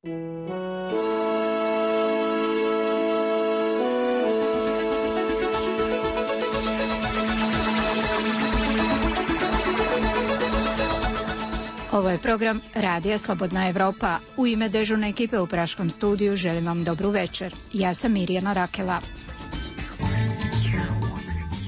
Ovo je program Radija Slobodna Evropa. U ime dežurne ekipe u Praškom studiju želim vam dobru večer. Ja sam Mirjana Rakela.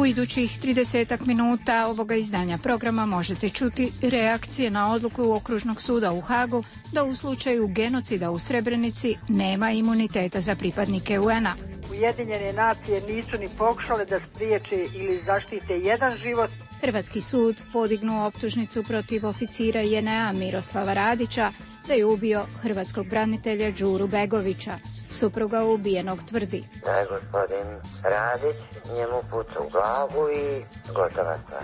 U idućih 30 minuta ovoga izdanja programa možete čuti reakcije na odluku Okružnog suda u Hagu da u slučaju genocida u Srebrenici nema imuniteta za pripadnike UN-a. Ujedinjene nacije nisu ni pokušale da spriječe ili zaštite jedan život. Hrvatski sud podignuo optužnicu protiv oficira JNA Miroslava Radića da je ubio hrvatskog branitelja Đuru Begovića. Supruga ubijenog tvrdi da je gospodin Radić njemu puca u glavu i gotova stvar.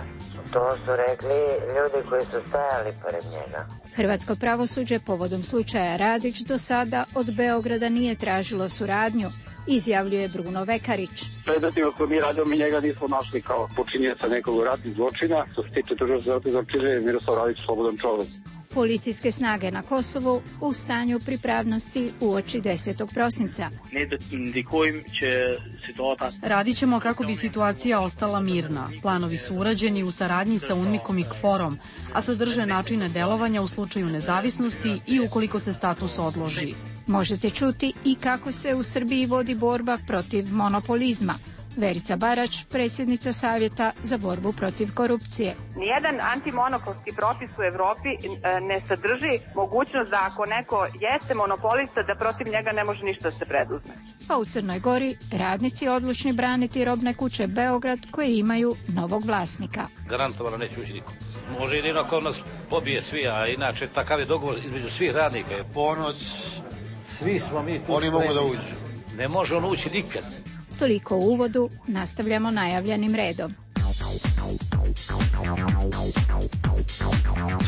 To su rekli ljudi koji su stajali pored njega. Hrvatsko pravosuđe povodom slučaja Radić do sada od Beograda nije tražilo suradnju, izjavljuje Bruno Vekarić. Predmetima koje mi radimo, mi njega nismo našli kao počinjenica nekog ratnih zločina. Što se tiče tužilaštva za optuživanje, Miroslav Radić slobodan čovjek. Policijske snage na Kosovu u stanju pripravnosti uoči 10. prosinca. Radit ćemo kako bi situacija ostala mirna. Planovi su urađeni u saradnji sa UNMIK-om i KFOR-om, a sadrže načine delovanja u slučaju nezavisnosti i ukoliko se status odloži. Možete čuti i kako se u Srbiji vodi borba protiv monopolizma. Verica Barać, predsjednica Savjeta za borbu protiv korupcije. Nijedan antimonopolski propis u Evropi ne sadrži mogućnost da ako neko jeste monopolista da protiv njega ne može ništa da se preduzme. A u Crnoj Gori radnici odlučni braniti robne kuće Beograd koje imaju novog vlasnika. Garantovano neće ući niko. Može jedino ako nas pobije svi, a inače takav je dogovor između svih radnika. Ponoć, svi smo mi tu. Oni mogu da uđu. Ne može on ući nikad. Toliko u uvodu, nastavljamo najavljenim redom.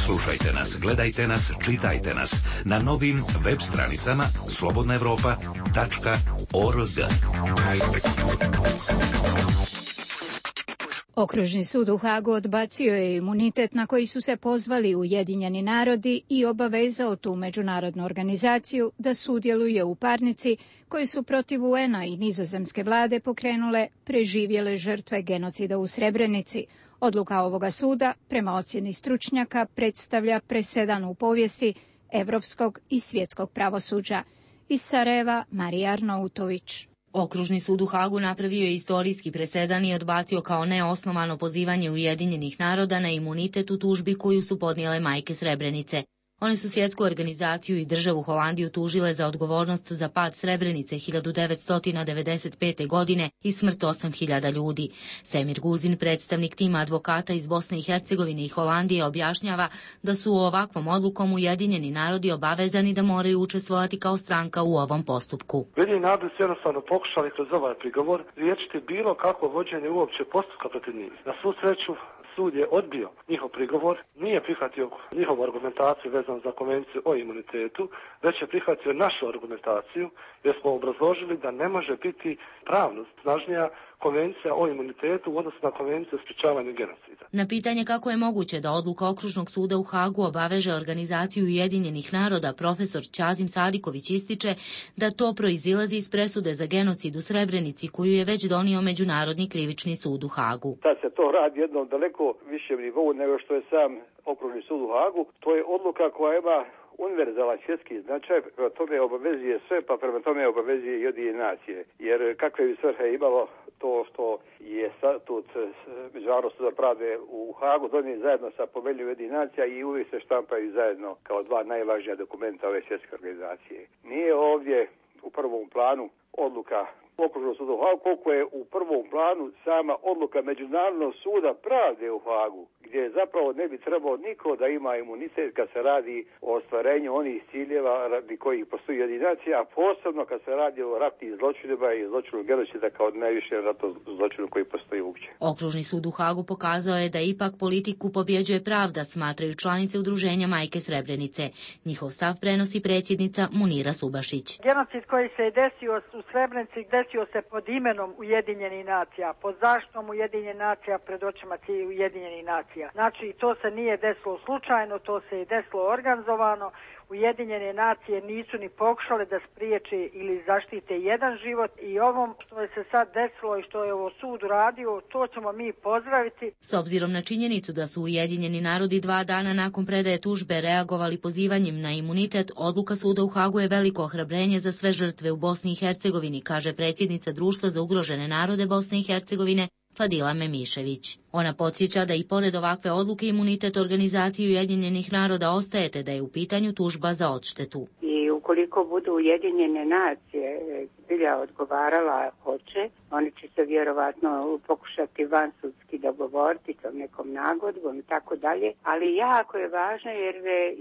Slušajte nas, gledajte nas, čitajte nas na novim web stranicama slobodnaevropa.org. Okružni sud u Hagu odbacio je imunitet na koji su se pozvali Ujedinjeni narodi i obavezao tu međunarodnu organizaciju da sudjeluje u parnici koji su protiv UN-a i nizozemske vlade pokrenule preživjele žrtve genocida u Srebrenici. Odluka ovoga suda, prema ocjeni stručnjaka, predstavlja presedan u povijesti evropskog i svjetskog pravosuđa. Iz Sarajeva, Marija Arnautović. Okružni sud u Hagu napravio je istorijski presedan i odbacio kao neosnovano pozivanje Ujedinjenih naroda na imunitet u tužbi koju su podnijele majke Srebrenice. One su svjetsku organizaciju i državu Holandiju tužile za odgovornost za pad Srebrenice 1995. godine i smrt 8.000 ljudi. Semir Guzin, predstavnik tima advokata iz Bosne i Hercegovine i Holandije, objašnjava da su ovakvom odlukom Ujedinjeni narodi obavezani da moraju učestvovati kao stranka u ovom postupku. Ujedinjeni narodi su jednostavno pokušali kroz ovaj prigovor riješiti bilo kakvo vođenje uopće postupka protiv njih. Na svu sreću, sud je odbio njihov prigovor, nije prihvatio njihovu argumentaciju vezanu za konvenciju o imunitetu, već je prihvatio našu argumentaciju jer smo obrazložili da ne može biti pravno snažnija konvencija o imunitetu u odnosu na konvenciju o sprječavanju genocida. Na pitanje kako je moguće da odluka Okružnog suda u Hagu obaveže organizaciju Ujedinjenih naroda, profesor Ćazim Sadiković ističe da to proizilazi iz presude za genocid u Srebrenici koju je već donio Međunarodni krivični sud u Hagu. Sad se to radi jednom daleko višem nivou nego što je sam Okružni sud u Hagu. To je odluka koja ima univerzalan svjetski značaj, prema tome obavezuje sve, pa prema tome obavezuje i Ujedinjene nacije. Jer kakve bi svrhe imalo to što je statut Međunarodnog suda pravde u Hagu donijeti zajedno sa Poveljom Ujedinjenih nacija i uvijek se štampaju zajedno kao dva najvažnija dokumenta ove svjetske organizacije. Nije ovdje u prvom planu odluka Okružnog suda u Hagu, koliko je u prvom planu sama odluka Međunarodnog suda pravde u Hagu, gdje zapravo ne bi trebao niko da ima imunitet kad se radi o ostvarenju onih ciljeva radi kojih postoji jedinacija, a posebno kad se radi o ratnim zločinima i zločinu genocida kao najviše ratnom zločinu koji postoji uopće. Okružni sud u Hagu pokazao je da ipak politiku pobjeđuje pravda, smatraju članice udruženja Majke Srebrenice. Njihov stav prenosi predsjednica Munira Subašić. Genocid koji se je desio u Srebrenici desio se pod imenom Ujedinjenih nacija, pod zaštitom Ujedinjenih nacija, pred očima Ujedinjenih nacija. Znači, to se nije desilo slučajno, to se je desilo organizovano. Ujedinjene nacije nisu ni pokušale da spriječe ili zaštite jedan život i ovom što je se sad desilo i što je ovo sud uradio, to ćemo mi pozdraviti. S obzirom na činjenicu da su Ujedinjeni narodi 2 dana nakon predaje tužbe reagovali pozivanjem na imunitet, odluka suda u Hagu je veliko ohrabrenje za sve žrtve u Bosni i Hercegovini, kaže predsjednica Društva za ugrožene narode Bosne i Hercegovine Fadila Memišević. Ona podsjeća da i pored ovakve odluke imunitet organizaciji Ujedinjenih naroda ostaje, te da je u pitanju tužba za odštetu. I ukoliko budu Ujedinjene nacije zbilja odgovarala hoće, oni će se vjerovatno pokušati vansudski dogovoriti sa nekom nagodbom i tako dalje, ali jako je važno jer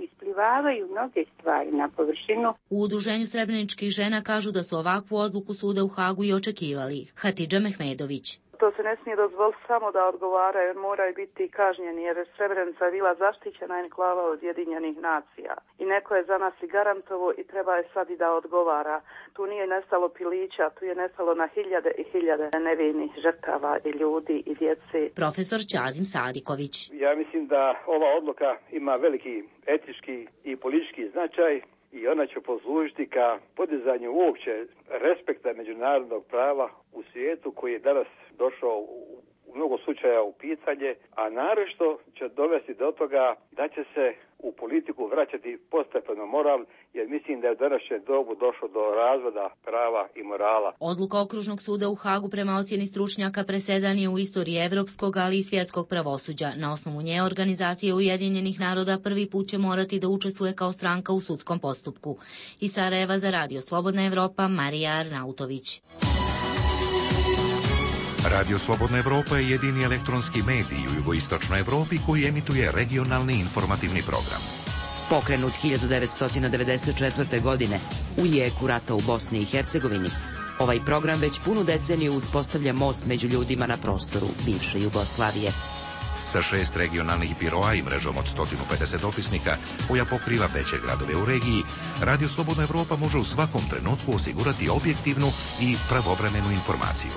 isplivavaju mnoge stvari na površinu. U Udruženju srebreničkih žena kažu da su ovakvu odluku suda u Hagu i očekivali. Hatidža Mehmedović. To se ne smije dozvoliti samo da odgovaraju, jer moraju biti kažnjeni, jer Srebrenica je bila zaštićena i klava od Ujedinjenih nacija. I neko je za nas i garantovo i treba je sad i da odgovara. Tu nije nestalo pilića, tu je nestalo na hiljade i hiljade nevinih žrtava i ljudi i djece. Profesor Ćazim Sadiković. Ja mislim da ova odluka ima veliki etički i politički značaj i ona će poslužiti ka podizanju uopće respekta međunarodnog prava u svijetu koji je danas došao u mnogo slučaja u pitanje, a naročito će dovesti do toga da će se u politiku vraćati postepeno moral, jer mislim da je u današnjem dobu došlo do razvoda prava i morala. Odluka Okružnog suda u Hagu prema ocjeni stručnjaka presedan je u istoriji evropskog, ali i svjetskog pravosuđa. Na osnovu nje organizacija Ujedinjenih naroda prvi put će morati da učestvuje kao stranka u sudskom postupku. Iz Sarajeva za Radio Slobodna Evropa, Marija Arnautović. Radio Slobodna Evropa je jedini elektronski medij u jugoistočnoj Evropi koji emituje regionalni informativni program. Pokrenut 1994. godine u jeku rata u Bosni i Hercegovini, ovaj program već punu deceniju uspostavlja most među ljudima na prostoru bivše Jugoslavije. Sa 6 regionalnih biroa i mrežom od 150 opisnika koja pokriva veće gradove u regiji, Radio Slobodna Evropa može u svakom trenutku osigurati objektivnu i pravovremenu informaciju.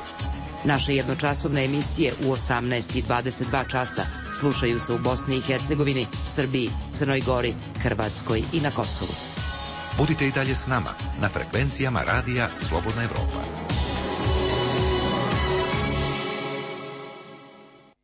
Naše jednočasovne emisije u 18 i 22 časa slušaju se u Bosni i Hercegovini, Srbiji, Crnoj Gori, Hrvatskoj i na Kosovu. Budite i dalje s nama na frekvencijama Radija Slobodna Evropa.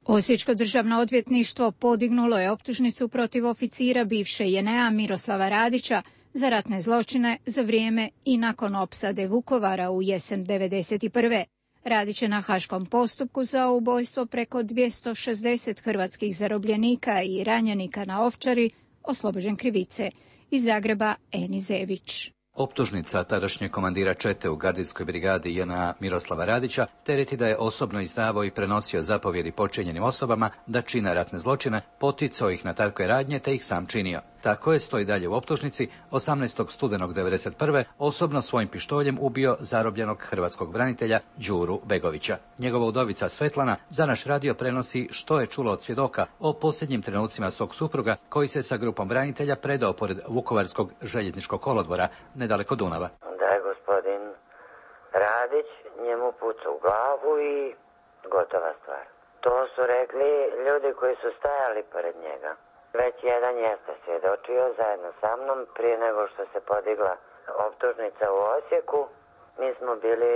Osječko državno odvjetništvo podignulo je optužnicu protiv oficira bivše JNA Miroslava Radića za ratne zločine za vrijeme i nakon opsade Vukovara u jesen 1991. Radić je na haškom postupku za ubojstvo preko 260 hrvatskih zarobljenika i ranjenika na Ovčari oslobođen krivice. Iz Zagreba Eni Zević. Optužnica tadašnjeg komandira čete u gardijskoj brigadi JNA Miroslava Radića tereti da je osobno izdavao i prenosio zapovjedi počinjenim osobama da čine ratne zločine, poticao ih na takve radnje te ih sam činio. Tako je, stoji dalje u optužnici, 18. studenog 1991. osobno svojim pištoljem ubio zarobljenog hrvatskog branitelja Đuru Begovića. Njegova udovica Svetlana za naš radio prenosi što je čula od svjedoka o posljednjim trenucima svog supruga koji se sa grupom branitelja predao pored Vukovarskog željezničkog kolodvora nedaleko Dunava. Da je gospodin Radić njemu pucao u glavu i gotova stvar. To su rekli ljudi koji su stajali pored njega. Već jedan jeste svjedočio zajedno sa mnom prije nego što se podigla optužnica u Osijeku. Mi smo bili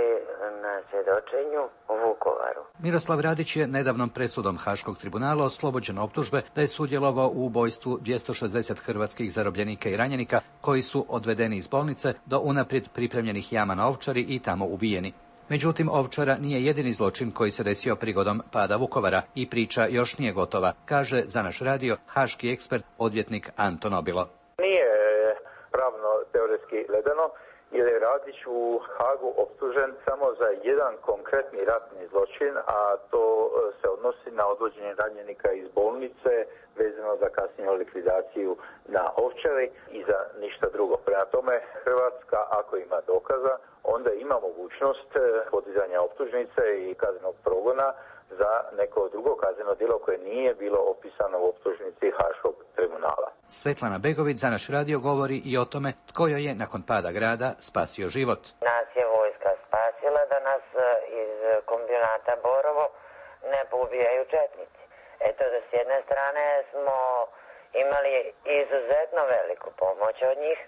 na svjedočenju u Vukovaru. Miroslav Radić je nedavnom presudom Haškog tribunala oslobođen optužbe da je sudjelovao u ubojstvu 260 hrvatskih zarobljenika i ranjenika koji su odvedeni iz bolnice do unaprijed pripremljenih jama na Ovčari i tamo ubijeni. Međutim, Ovčara nije jedini zločin koji se desio prigodom pada Vukovara i priča još nije gotova, kaže za naš radio haški ekspert, odvjetnik Anton Obilo. Nije pravno teoretski gledano, jer je Radić u Hagu optužen samo za jedan konkretni ratni zločin, a to se odnosi na odvođenje ranjenika iz bolnice vezano za kasniju likvidaciju na Ovčari i za ništa drugo. Prema tome, Hrvatska, ako ima dokaza, onda ima mogućnost podizanja optužnice i kaznenog progona za neko drugo kazneno djelo koje nije bilo opisano u optužnici Haškog tribunala. Svetlana Begović za naš radio govori i o tome tko joj je nakon pada grada spasio život. Nas je vojska spasila. strane smo imali izuzetno veliku pomoć od njih,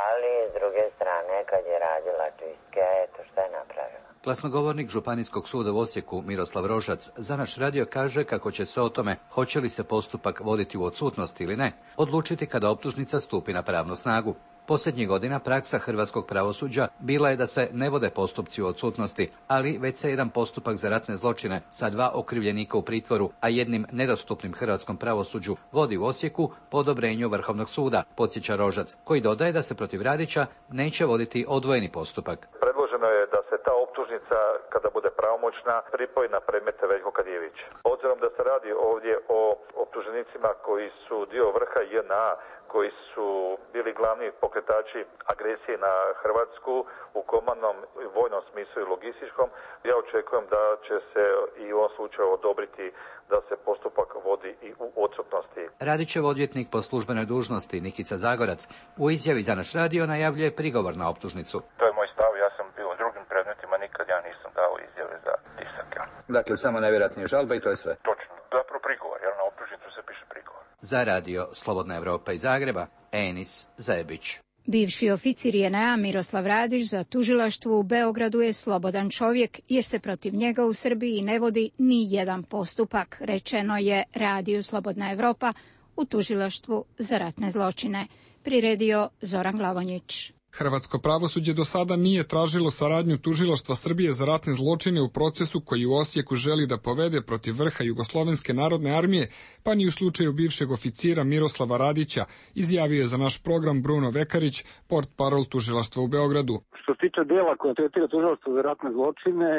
ali s druge strane kad je radila čistke, eto šta je napravila. Glasnogovornik Županijskog suda u Osijeku Miroslav Rožac za naš radio kaže kako će se o tome hoće li se postupak voditi u odsutnosti ili ne, odlučiti kada optužnica stupi na pravnu snagu. Posljednjih godina praksa hrvatskog pravosuđa bila je da se ne vode postupci u odsutnosti, ali već se jedan postupak za ratne zločine sa 2 okrivljenika u pritvoru, a jednim nedostupnim hrvatskom pravosuđu vodi u Osijeku po odobrenju Vrhovnog suda, podsjeća Rožac, koji dodaje da se protiv Radića neće voditi odvojeni postupak. Predloženo je da se ta optužnica, kada bude pravomoćna, pripoji na predmet Veljko Kadijević. Obzirom da se radi ovdje o optuženicima koji su dio vrha JNA, koji su bili glavni pokretači agresije na Hrvatsku u komandnom vojnom smislu i logističkom, ja očekujem da će se i u ovom slučaju odobriti da se postupak vodi i u odsutnosti. Radićev odvjetnik po službenoj dužnosti Nikica Zagorac u izjavi za naš radio najavljuje prigovor na optužnicu. To je moj stav, ja sam bio u drugim predmetima, nikad ja nisam dao izjave za tisak. Dakle, samo najvjerojatnije žalba i to je sve. Točno, zapravo prigovor, jer na optužnicu se piše prigovor. Za radio Slobodna Evropa iz Zagreba, Enis Zebić. Bivši oficir JNA Miroslav Radić za tužilaštvo u Beogradu je slobodan čovjek jer se protiv njega u Srbiji ne vodi ni jedan postupak, rečeno je Radio Slobodna Evropa u tužilaštvu za ratne zločine. Priredio Zoran Glavonjić. Hrvatsko pravosuđe do sada nije tražilo saradnju tužilaštva Srbije za ratne zločine u procesu koji u Osijeku želi da povede protiv vrha Jugoslovenske narodne armije, pa ni u slučaju bivšeg oficira Miroslava Radića, izjavio je za naš program Bruno Vekarić, portparol tužilaštva u Beogradu. Što se tiče dela koje tretira tužilaštvo za ratne zločine,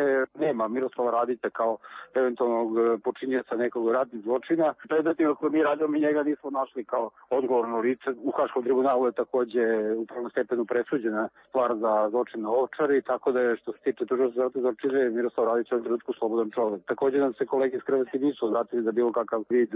nema Miroslava Radića kao eventualnog počinioca nekog ratnih zločina. Predmetima koje mi radimo, mi njega nismo našli kao odgovorno lice. U Haškom tribunalu je takođe u prvom stepenu presuđena stvar za zločin na Ovčari, tako da je što se tiče tužilaštva za ratne zločine Miroslav Radić u trenutku slobodan čovjek. Takođe nam se kolege iz Hrvatske nisu obratili za bilo kakav vid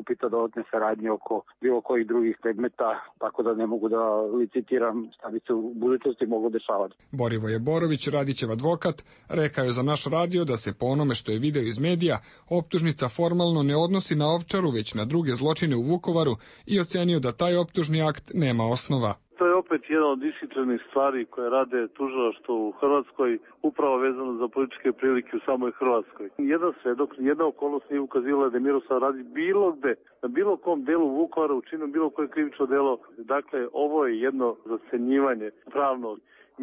upita dodatne saradnje oko bilo kojih drugih predmeta, tako da ne mogu da licitiram šta bi se u budućnosti moglo dešavati. Borivoje Borović, Radićev advokat, rekao je za naš radio da se po onome što je video iz medija, optužnica formalno ne odnosi na Ovčaru, već na druge zločine u Vukovaru i ocenio da taj optužni akt nema osnova. To je opet jedna od disciplinarnih stvari koje rade tužilaštvo u Hrvatskoj, upravo vezano za političke prilike u samoj Hrvatskoj. Jedan svedok, jedna okolnost nije ukazivala da je Miroslav Radić bilo gde, na bilo kom delu Vukovara učinio bilo koje krivično delo. Dakle, ovo je jedno zacenjivanje pravno.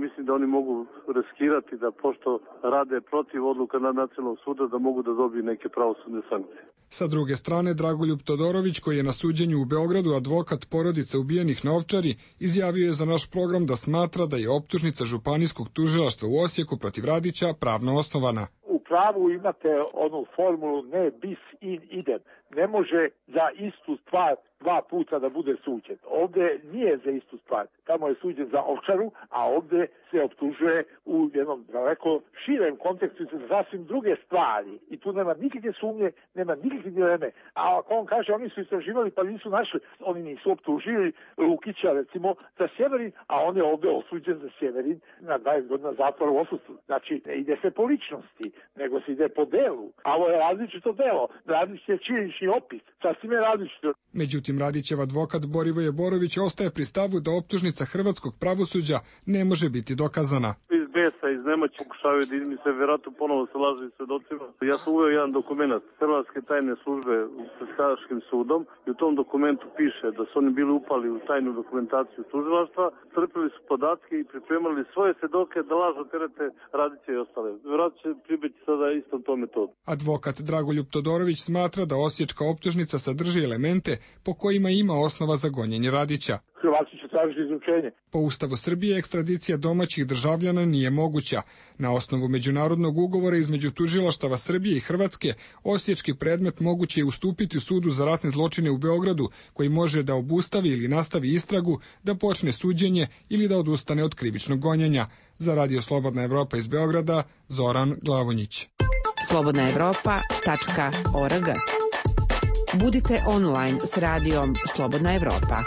Mislim da oni mogu riskirati da, pošto rade protiv odluka Nacionalnog suda, da mogu da dobiju neke pravosudne sankcije. Sa druge strane, Dragoljub Todorović, koji je na suđenju u Beogradu advokat porodice ubijenih na Ovčari, izjavio je za naš program da smatra da je optužnica Županijskog tužilaštva u Osijeku protiv Radića pravno osnovana. U pravu imate onu formulu ne bis in idem. Ne može za istu stvar 2 puta da bude suđen. Ovdje nije za istu stvar. Tamo je suđen za Ovčaru, a ovdje se optužuje u jednom daleko širem kontekstu za sasvim druge stvari. I tu nema nikakve sumnje, nema nikakve dileme. A ako on kaže oni su istraživali pa nisu našli, oni nisu optužili Lukića recimo za Sjeverin, a on je ovdje osuđen za Sjeverin na 20 godina zatvora u odsustvu. Znači ne ide se po ličnosti, nego se ide po delu. A ovo je različito delo. Različit je činjenični opis. Sasvim je različito. Međutim, Radićev advokat Borivoje Borović ostaje pri stavu da optužnica hrvatskog pravosuđa ne može biti dokazana. Iz besa, iz nemoći pokušavaju da izmisle, vjerojatno ponovo se laže svedocima. Ja sam uveo jedan dokument Hrvatske tajne službe pred Haškim sudom i u tom dokumentu piše da su oni bili upali u tajnu dokumentaciju tužilaštva, crpili su podatke i pripremali svoje svedoke da lažno terete Radića i ostale. Vjerojatno će pribiti sada istom tom metodu. Advokat Dragoljub Todorović smatra da osječka optužnica sadrži elemente po kojima ima osnova za gonjenje Radića. Hrvatski će tražiti izručenje. Po Ustavu Srbije ekstradicija domaćih državljana nije moguća. Na osnovu međunarodnog ugovora između tužilaštava Srbije i Hrvatske, osječki predmet moguće je ustupiti sudu za ratne zločine u Beogradu, koji može da obustavi ili nastavi istragu, da počne suđenje ili da odustane od krivičnog gonjenja. Za Radio Slobodna Evropa iz Beograda, Zoran Glavonjić. slobodnaevropa.org. Budite online s radijom Slobodna Evropa.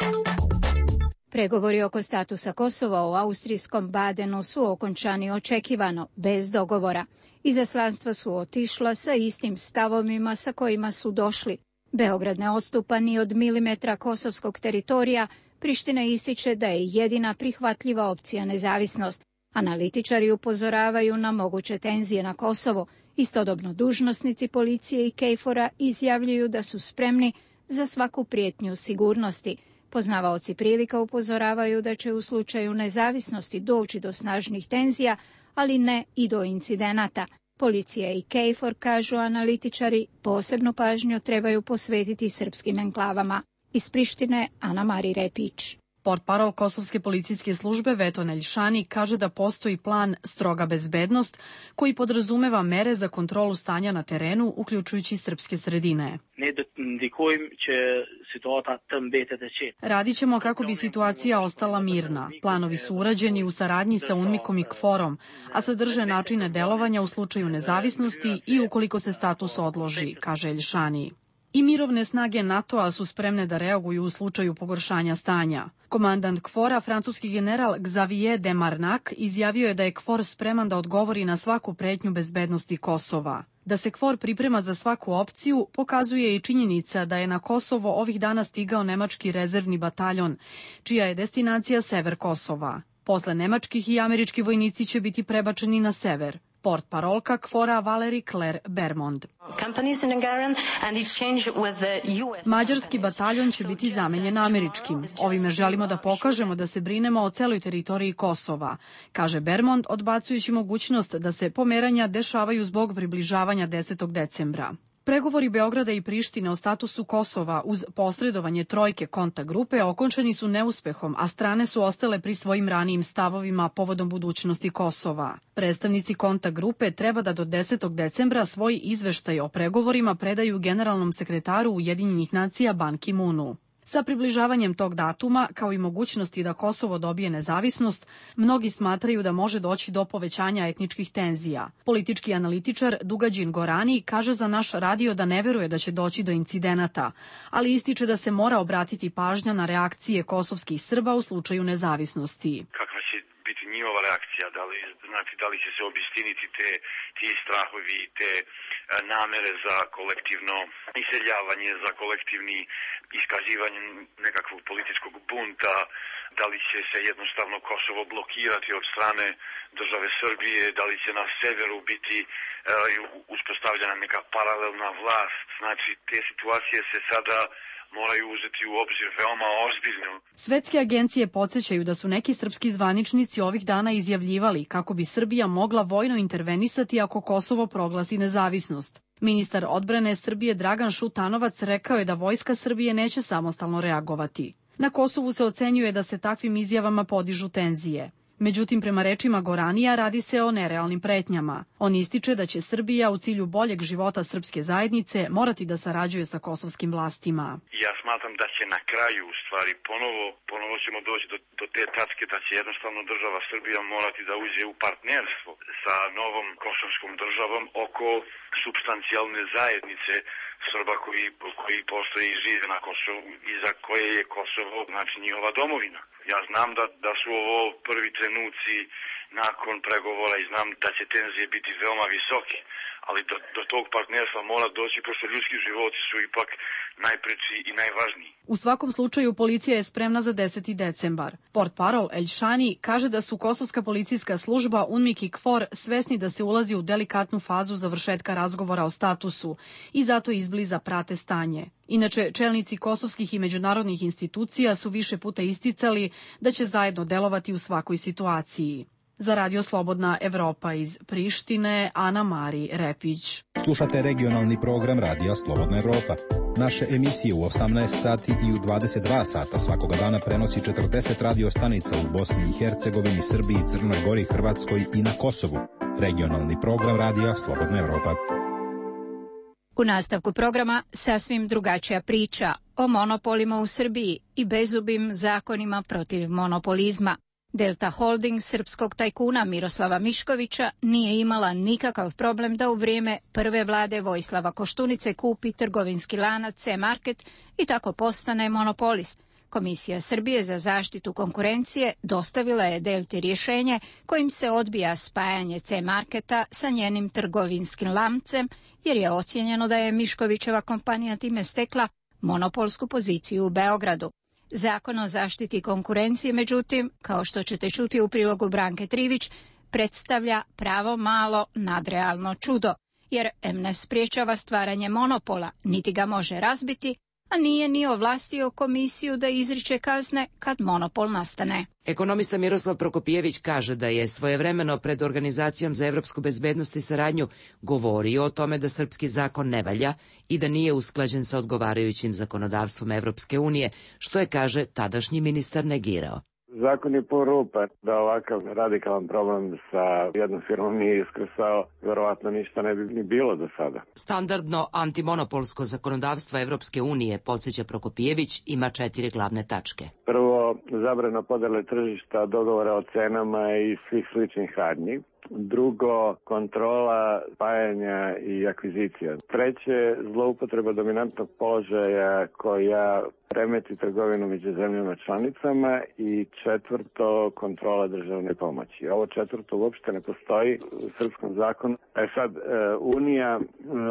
Pregovori oko statusa Kosova u austrijskom Badenu su okončani očekivano, bez dogovora. Izaslanstva su otišla sa istim stavovima sa kojima su došli. Beograd ne odstupa ni od milimetra kosovskog teritorija, Priština ističe da je jedina prihvatljiva opcija nezavisnost. Analitičari upozoravaju na moguće tenzije na Kosovo. Istodobno dužnosnici policije i KFOR-a izjavljuju da su spremni za svaku prijetnju sigurnosti. Poznavaoci prilika upozoravaju da će u slučaju nezavisnosti doći do snažnih tenzija, ali ne i do incidenata. Policija i KFOR, kažu analitičari, posebnu pažnju trebaju posvetiti srpskim enklavama. Iz Prištine, Ana-Mari Repić. Portparol Kosovske policijske službe Veton Eljšani kaže da postoji plan Stroga bezbednost koji podrazumeva mere za kontrolu stanja na terenu, uključujući srpske sredine. Radit ćemo kako bi situacija ostala mirna. Planovi su urađeni u saradnji sa UNMIK-om i KFOR-om, a sadrže načine delovanja u slučaju nezavisnosti i ukoliko se status odloži, kaže Eljšani. I mirovne snage NATO-a su spremne da reaguju u slučaju pogoršanja stanja. Komandant KFOR-a, francuski general Xavier de Marnac, izjavio je da je KFOR spreman da odgovori na svaku pretnju bezbednosti Kosova. Da se KFOR priprema za svaku opciju pokazuje i činjenica da je na Kosovo ovih dana stigao nemački rezervni bataljon, čija je destinacija sever Kosova. Posle nemačkih i američki vojnici će biti prebačeni na sever. Portparolka KFOR-a Valérie Claire Bermond. Mađarski bataljon će biti zamenjen američkim. Ovime želimo da pokažemo da se brinemo o celoj teritoriji Kosova, kaže Bermond, odbacujući mogućnost da se pomeranja dešavaju zbog približavanja 10. decembra. Pregovori Beograda i Prištine o statusu Kosova uz posredovanje trojke kontakt grupe okončani su neuspehom, a strane su ostale pri svojim ranijim stavovima povodom budućnosti Kosova. Predstavnici kontakt grupe treba da do 10. decembra svoj izveštaj o pregovorima predaju generalnom sekretaru Ujedinjenih nacija Ban Ki-moonu. Sa približavanjem tog datuma, kao i mogućnosti da Kosovo dobije nezavisnost, mnogi smatraju da može doći do povećanja etničkih tenzija. Politički analitičar Dugađin Gorani kaže za naš radio da ne veruje da će doći do incidenata, ali ističe da se mora obratiti pažnja na reakcije kosovskih Srba u slučaju nezavisnosti. Kakva će biti njihova reakcija? Da li će se obistiniti ti strahovi, te namere za kolektivno iseljavanje, za kolektivni iskazivanje nekakvog političkog bunta, da li će se jednostavno Kosovo blokirati od strane države Srbije, da li će na severu biti uspostavljena neka paralelna vlast. Znači, te situacije se sada moraju uzeti u obzir veoma ozbiljno. Svetske agencije podsjećaju da su neki srpski zvaničnici ovih dana izjavljivali kako bi Srbija mogla vojno intervenisati ako Kosovo proglasi nezavisnost. Ministar odbrane Srbije Dragan Šutanovac rekao je da vojska Srbije neće samostalno reagovati. Na Kosovu se ocenjuje da se takvim izjavama podižu tenzije. Međutim, prema rečima Goranija, radi se o nerealnim pretnjama. On ističe da će Srbija u cilju boljeg života srpske zajednice morati da sarađuje sa kosovskim vlastima. Ja smatram da će na kraju u stvari ponovo ćemo doći do te tačke da će jednostavno država Srbija morati da uđe u partnerstvo sa novom kosovskom državom oko supstancijalne zajednice Srba koji postoje i žive na Kosovu i za koje je Kosovo, znači njihova domovina. Ja znam da su ovo prvi trenuci nakon pregovora i znam da će tenzije biti veoma visoke, ali do tog partnerstva mora doći, pošto ljudski životi su ipak najpreči i najvažniji. U svakom slučaju policija je spremna za 10. decembar. Portparol Eljšani kaže da su kosovska policijska služba UNMIK i KFOR svesni da se ulazi u delikatnu fazu završetka razgovora o statusu i zato izbliza prate stanje. Inače, čelnici kosovskih i međunarodnih institucija su više puta isticali da će zajedno delovati u svakoj situaciji. Za Radio Slobodna Evropa iz Prištine, Ana-Mari Repić. Slušate regionalni program Radija Slobodna Evropa. Naše emisije u 18 sati i u 22 sata svakoga dana prenosi 40 radio stanica u Bosni i Hercegovini, Srbiji, Crnoj Gori, Hrvatskoj i na Kosovu. Regionalni program Radija Slobodna Evropa. U nastavku programa sasvim drugačija priča o monopolima u Srbiji i bezubim zakonima protiv monopolizma. Delta Holding srpskog tajkuna Miroslava Miškovića nije imala nikakav problem da u vrijeme prve vlade Vojislava Koštunice kupi trgovinski lanac C-Market i tako postane monopolist. Komisija Srbije za zaštitu konkurencije dostavila je Delti rješenje kojim se odbija spajanje C-marketa sa njenim trgovinskim lancem, jer je ocijenjeno da je Miškovićeva kompanija time stekla monopolsku poziciju u Beogradu. Zakon o zaštiti konkurencije, međutim, kao što ćete čuti u prilogu Branke Trivić, predstavlja pravo malo nadrealno čudo, jer ne spriječava stvaranje monopola, niti ga može razbiti, a nije ni ovlastio komisiju da izriče kazne kad monopol nastane. Ekonomista Miroslav Prokopijević kaže da je svojevremeno pred Organizacijom za evropsku bezbednost i saradnju govorio o tome da srpski zakon ne valja i da nije usklađen sa odgovarajućim zakonodavstvom Evropske unije, što je, kaže, tadašnji ministar negirao. Zakon je pun rupa, da ovakav radikalan problem sa jednom firmom nije iskrsao, verovatno ništa ne bi ni bilo do sada. Standardno antimonopolsko zakonodavstvo Evropske unije, podsjeća Prokopijević, ima 4 glavne tačke. Prvo, zabrana podele tržišta, dogovora o cenama i svih sličnih radnji. Drugo, kontrola spajanja i akvizicija. Treće, zloupotreba dominantnog položaja koja remeti trgovinu među zemljama članicama i četvrto, kontrola državne pomoći. Ovo četvrto uopšte ne postoji u srpskom zakonu. Sad, Unija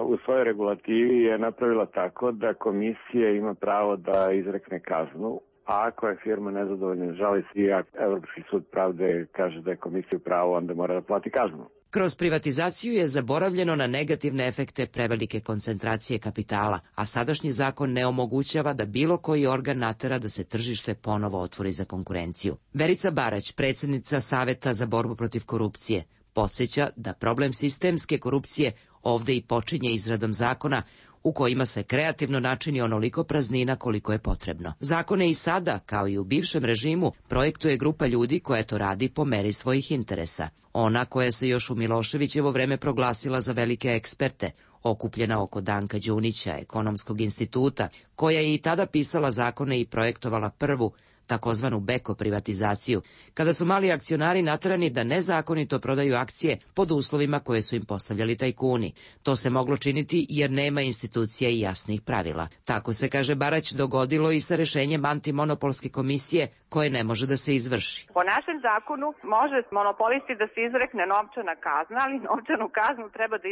u svojoj regulativi je napravila tako da komisija ima pravo da izrekne kaznu. A ako je firma nezadovoljna, žali se i Evropski sud pravde kaže da je komisija u pravu, onda mora da plati kaznu. Kroz privatizaciju je zaboravljeno na negativne efekte prevelike koncentracije kapitala, a sadašnji zakon ne omogućava da bilo koji organ natera da se tržište ponovo otvori za konkurenciju. Verica Barać, predsjednica Saveta za borbu protiv korupcije, podsjeća da problem sistemske korupcije ovde i počinje izradom zakona u kojima se kreativno načini onoliko praznina koliko je potrebno. Zakone i sada, kao i u bivšem režimu, projektuje grupa ljudi koja to radi po meri svojih interesa. Ona koja se još u Miloševićevo vreme proglasila za velike eksperte, okupljena oko Danka Đunića, Ekonomskog instituta, koja je i tada pisala zakone i projektovala prvu, takozvanu beko privatizaciju, kada su mali akcionari naterani da nezakonito prodaju akcije pod uslovima koje su im postavljali tajkuni. To se moglo činiti jer nema institucija i jasnih pravila. Tako se, kaže Barać, dogodilo i sa rešenjem antimonopolske komisije koje ne može da se izvrši. Po našem zakonu može monopolisti da se izrekne novčana kazna, ali novčanu kaznu treba da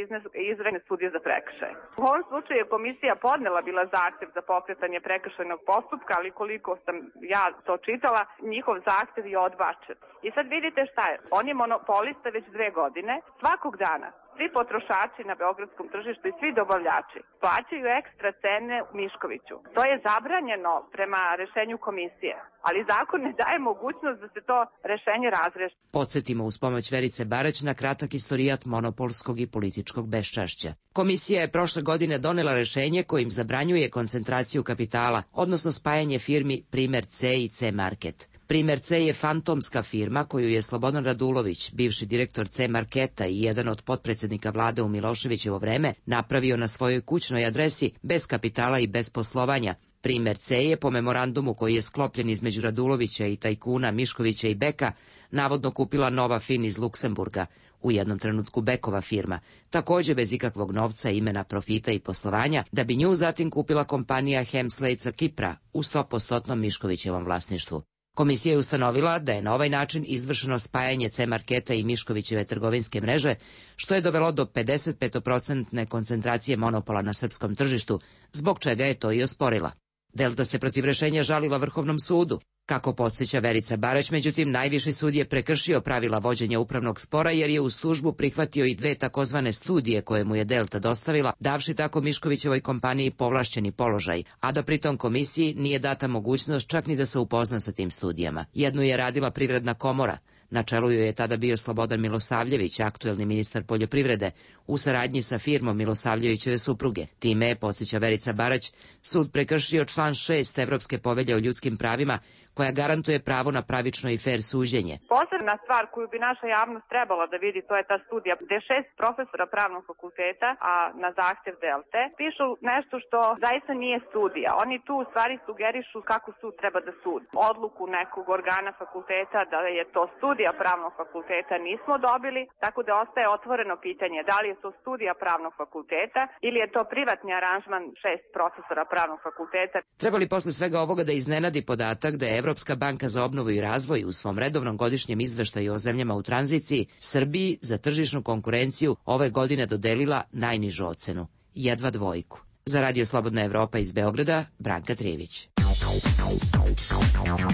izrekne sudija za prekršaj. U ovom slučaju je komisija podnela bila zahtev za pokretanje prekršajnog postupka, ali koliko sam ja to čitala, njihov zahtev je odbačen. I sad vidite šta je, on je monopolista već 2 godine, svakog dana. Svi potrošači na beogradskom tržištu i svi dobavljači plaćaju ekstra cene u Miškoviću. To je zabranjeno prema rešenju komisije, ali zakon ne daje mogućnost da se to rešenje razreši. Podsjetimo uz pomoć Verice Barać na kratak istorijat monopolskog i političkog beščašća. Komisija je prošle godine donela rešenje kojim zabranjuje koncentraciju kapitala, odnosno spajanje firmi Primer C i C-market. Primer C je fantomska firma koju je Slobodan Radulović, bivši direktor C-marketa i jedan od potpredsjednika vlade u Miloševićevo vreme, napravio na svojoj kućnoj adresi bez kapitala i bez poslovanja. Primer C je po memorandumu koji je sklopljen između Radulovića i tajkuna Miškovića i Beka navodno kupila Nova Fin iz Luksemburga, u jednom trenutku Bekova firma, takođe bez ikakvog novca, imena, profita i poslovanja, da bi nju zatim kupila kompanija Hemslade sa Kipra u 100% Miškovićevom vlasništvu. Komisija je ustanovila da je na ovaj način izvršeno spajanje C-marketa i Miškovićeve trgovinske mreže, što je dovelo do 55% koncentracije monopola na srpskom tržištu, zbog čega je to i osporila. Delta se protiv rešenja žalila Vrhovnom sudu. Kako podsjeća Verica Barać, međutim, najviši sud je prekršio pravila vođenja upravnog spora jer je uz tužbu prihvatio i 2 takozvane studije koje mu je Delta dostavila, davši tako Miškovićevoj kompaniji povlašćeni položaj, a da pritom komisiji nije data mogućnost čak ni da se upozna sa tim studijama. Jednu je radila Privredna komora. Na čelu joj je tada bio Slobodan Milosavljević, aktuelni ministar poljoprivrede, u saradnji sa firmom Milosavljevićeve supruge. Time je, podsjeća Verica Barać, sud prekršio član 6 Evropske povelje o ljudskim pravima, koja garantuje pravo na pravično i fer suđenje. Posebna stvar koju bi naša javnost trebala da vidi, to je ta studija gde 6 profesora pravnog fakulteta, a na zahtev Delte, pišu nešto što zaista nije studija. Oni tu u stvari sugerišu kako sud treba da sudi. Odluku nekog organa fakulteta da je to studija pravnog fakulteta nismo dobili, tako da ostaje otvoreno pitanje da li je je to studija pravnog fakulteta ili je to privatni aranžman 6 profesora pravnog fakulteta. Treba li posle svega ovoga da iznenadi podatak da je Evropska banka za obnovu i razvoj u svom redovnom godišnjem izveštaju o zemljama u tranziciji Srbiji za tržišnu konkurenciju ove godine dodelila najnižu ocenu, jedva 2. Za Radio Slobodna Evropa iz Beograda, Branka Trijević.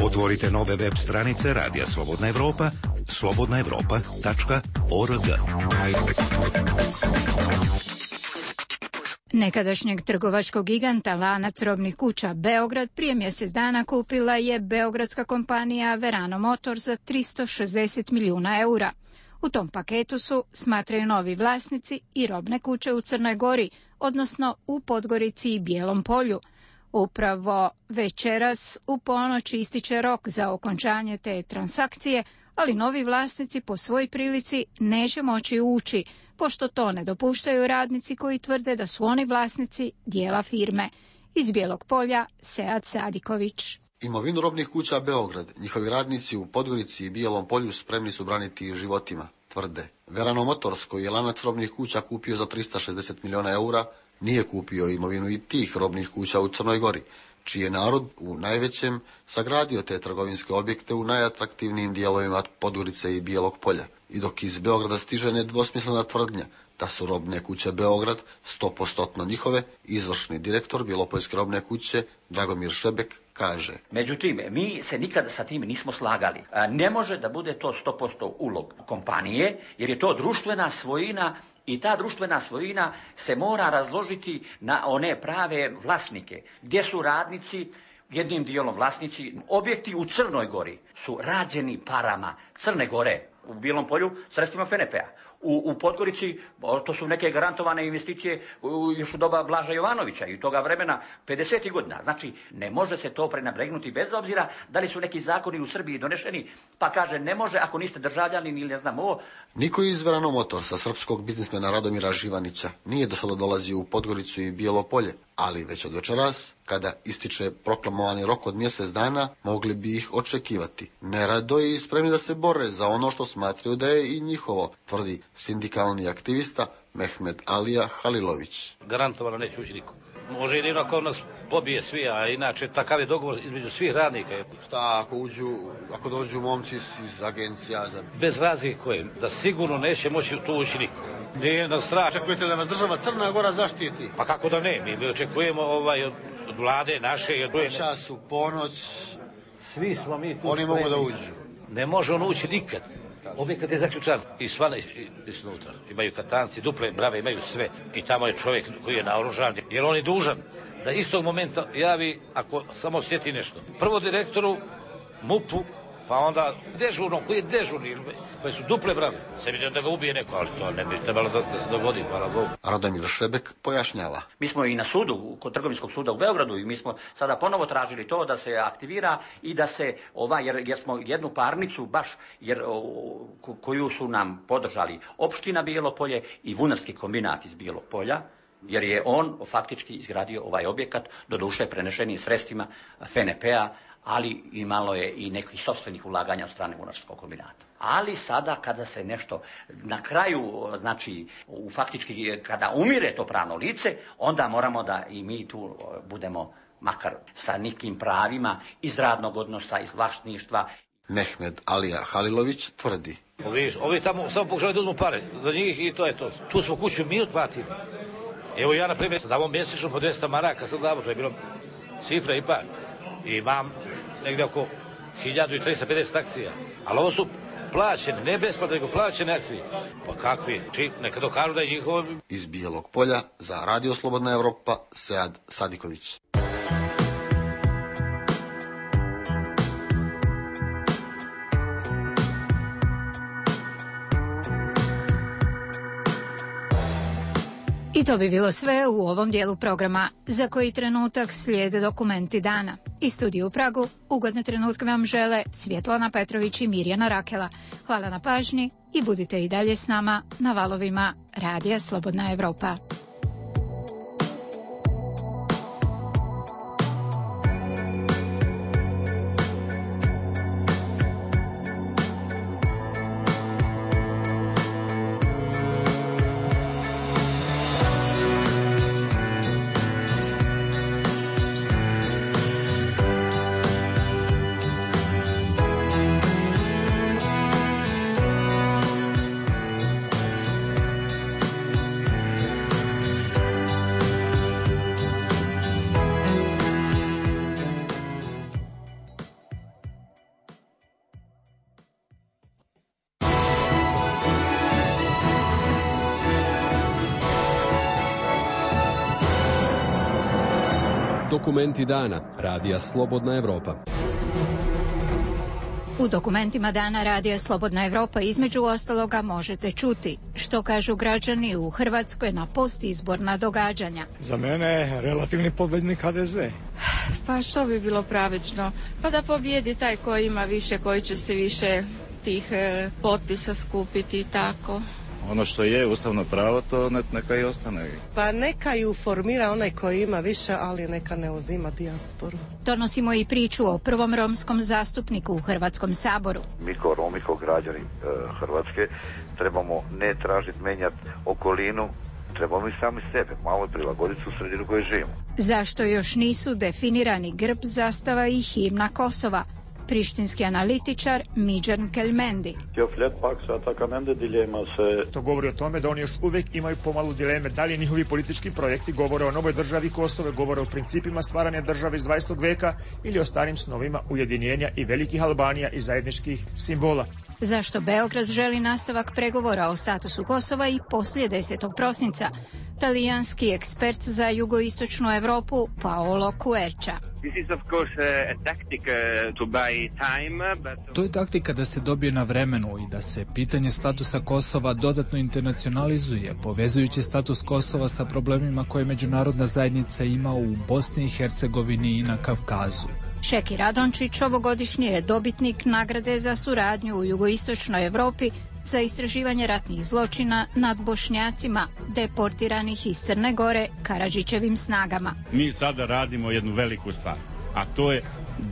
Otvorite nove web stranice Radija Slobodna Evropa, slobodnaevropa.org. Nekadašnjeg trgovačkog giganta lanac robnih kuća Beograd prije mjesec dana kupila je beogradska kompanija Verano Motor za 360 milijuna eura. U tom paketu su, smatraju novi vlasnici, i robne kuće u Crnoj Gori, odnosno u Podgorici i Bijelom Polju. Upravo večeras u ponoć ističe rok za okončanje te transakcije, ali novi vlasnici po svoj prilici neće moći ući, pošto to ne dopuštaju radnici koji tvrde da su oni vlasnici dijela firme. Iz Bijelog Polja, Sead Sadiković. Imovinu robnih kuća Beograd, njihovi radnici u Podgorici i Bijelom Polju spremni su braniti životima, tvrde. Verano Motors, koji je lanac robnih kuća kupio za 360 milijuna eura, nije kupio imovinu i tih robnih kuća u Crnoj Gori, čiji je narod u najvećem sagradio te trgovinske objekte u najatraktivnijim dijelovima Podgorice i Bijelog Polja. I dok iz Beograda stiže nedvosmislena tvrdnja da su robne kuće Beograd 100% njihove, izvršni direktor Bjelopoljske robne kuće Dragomir Šebek kaže. Međutim, mi se nikada sa tim nismo slagali. Ne može da bude to 100% ulog kompanije, jer je to društvena svojina i ta društvena svojina se mora razložiti na one prave vlasnike, gdje su radnici jednim dijelom vlasnici. Objekti u Crnoj Gori su rađeni parama Crne Gore, u Bijelom Polju sredstvima FNP-a. U Podgorici to su neke garantovane investicije još u doba Blaža Jovanovića i toga vremena 50. godina. Znači, ne može se to prenabregnuti bez obzira da li su neki zakoni u Srbiji donešeni, pa kaže ne može ako niste državljanin ili ne znam ovo. Niko iz Verano Motorsa, srpskog biznismena Radomira Živanića, nije do sada dolazio u Podgoricu i Bijelo Polje, ali već od večeras, kada ističe proklamovani rok od mjesec dana, mogli bi ih očekivati. Nerado i spremni da se bore za ono što smatraju da je i njihovo, tvrdi sindikalni aktivista Mehmed Alija Halilović. Garantovano neće ući niko. Može jedino ako nas pobije svi, a inače takav je dogovor između svih radnika. Šta ako dođu momci iz agencija? Bez razlike da sigurno neće moći tu ući niko. Nije na strah. Očekujete da nas država Crna Gora zaštiti? Pa kako da ne, mi očekujemo od vlade naše. Čas u ponoć, svi smo mi tu oni mogu da uđu. Ne može on ući nikad. Objekat je zaključan i svana iznutra. Imaju katanci, duple brave, imaju sve. I tamo je čovjek koji je naoružan, jer on je dužan da istog momenta javi ako samo sjeti nešto. Prvo direktoru, MUP-u, pa onda dežurnom, koji je dežurni, koji su duple brave. Se vidim da ga ubije neko, ali to ne bi trebalo da se dogodi, hvala Bogu. Radomir Šebek pojašnjava. Mi smo i na sudu, kod Trgovinskog suda u Beogradu, i mi smo sada ponovo tražili to da se aktivira i da se, jer smo jednu parnicu baš, koju su nam podržali opština Bijelo Polje i Vunarski kombinat iz Bijelog Polja, jer je on faktički izgradio ovaj objekat, doduše prenešenim sredstvima FNP-a, ali imalo je i nekih sopstvenih ulaganja od strane Vunarskog kombinata. Ali sada kada se nešto na kraju, znači faktički kada umire to pravno lice, onda moramo da i mi tu budemo makar sa nekim pravima iz radnog odnosa, iz vlasništva. Mehmed Alija Halilović tvrdi. Ovi tamo samo pokušali da uzmu pare za njih i to je to. Tu smo kuću mi otplatili. Evo ja, na primjer, damo mjesečno po 200 maraka, sad damo, to je bilo cifra i par. I imam negdje oko 1350 akcija. Ali ovo su plaćene, ne besplatne, nego plaćene akcije. Pa kakvi? Neka dokažu da je njihovo. Iz Bijelog Polja za Radio Slobodna Evropa, Sead Sadiković. I to bi bilo sve u ovom dijelu programa. Za koji trenutak slijede dokumenti dana. Iz studiju u Pragu ugodne trenutke vam žele Svjetlana Petrović i Mirjana Rakela. Hvala na pažnji i budite i dalje s nama na valovima Radija Slobodna Evropa. Dokumenti dana Radija Slobodna Evropa. U dokumentima dana Radija Slobodna Evropa između ostaloga možete čuti što kažu građani u Hrvatskoj na postizborna događanja. Za mene je relativni pobjednik HDZ. Pa što bi bilo pravično? Pa da pobjedi taj koji ima više, koji će se više tih potpisa skupiti i tako. Ono što je ustavno pravo, to neka i ostane. Pa neka ju formira onaj koji ima više, ali neka ne uzima dijasporu. Donosimo i priču o prvom romskom zastupniku u Hrvatskom saboru. Mi kao Romi, kao građani Hrvatske, trebamo ne tražiti menjati okolinu, trebamo i sami sebe, malo prilagoditi u sredinu koju živimo. Zašto još nisu definirani grb, zastava i himna Kosova? Prištinski analitičar Midjan Kelmendi. To govori o tome da oni još uvijek imaju pomalu dileme da li njihovi politički projekti govore o novoj državi Kosove, govore o principima stvaranja države iz 20. veka ili o starim snovima ujedinjenja i velikih Albanija i zajedničkih simbola. Zašto Beograd želi nastavak pregovora o statusu Kosova i poslije 10. prosinca? Talijanski ekspert za jugoistočnu Evropu Paolo Quercia. To je taktika da se dobije na vremenu i da se pitanje statusa Kosova dodatno internacionalizuje, povezujući status Kosova sa problemima koje međunarodna zajednica ima u Bosni i Hercegovini i na Kavkazu. Šeki Radončić ovogodišnji je dobitnik nagrade za suradnju u jugoistočnoj Evropi za istraživanje ratnih zločina nad Bošnjacima deportiranih iz Crne Gore Karadžićevim snagama. Mi sada radimo jednu veliku stvar, a to je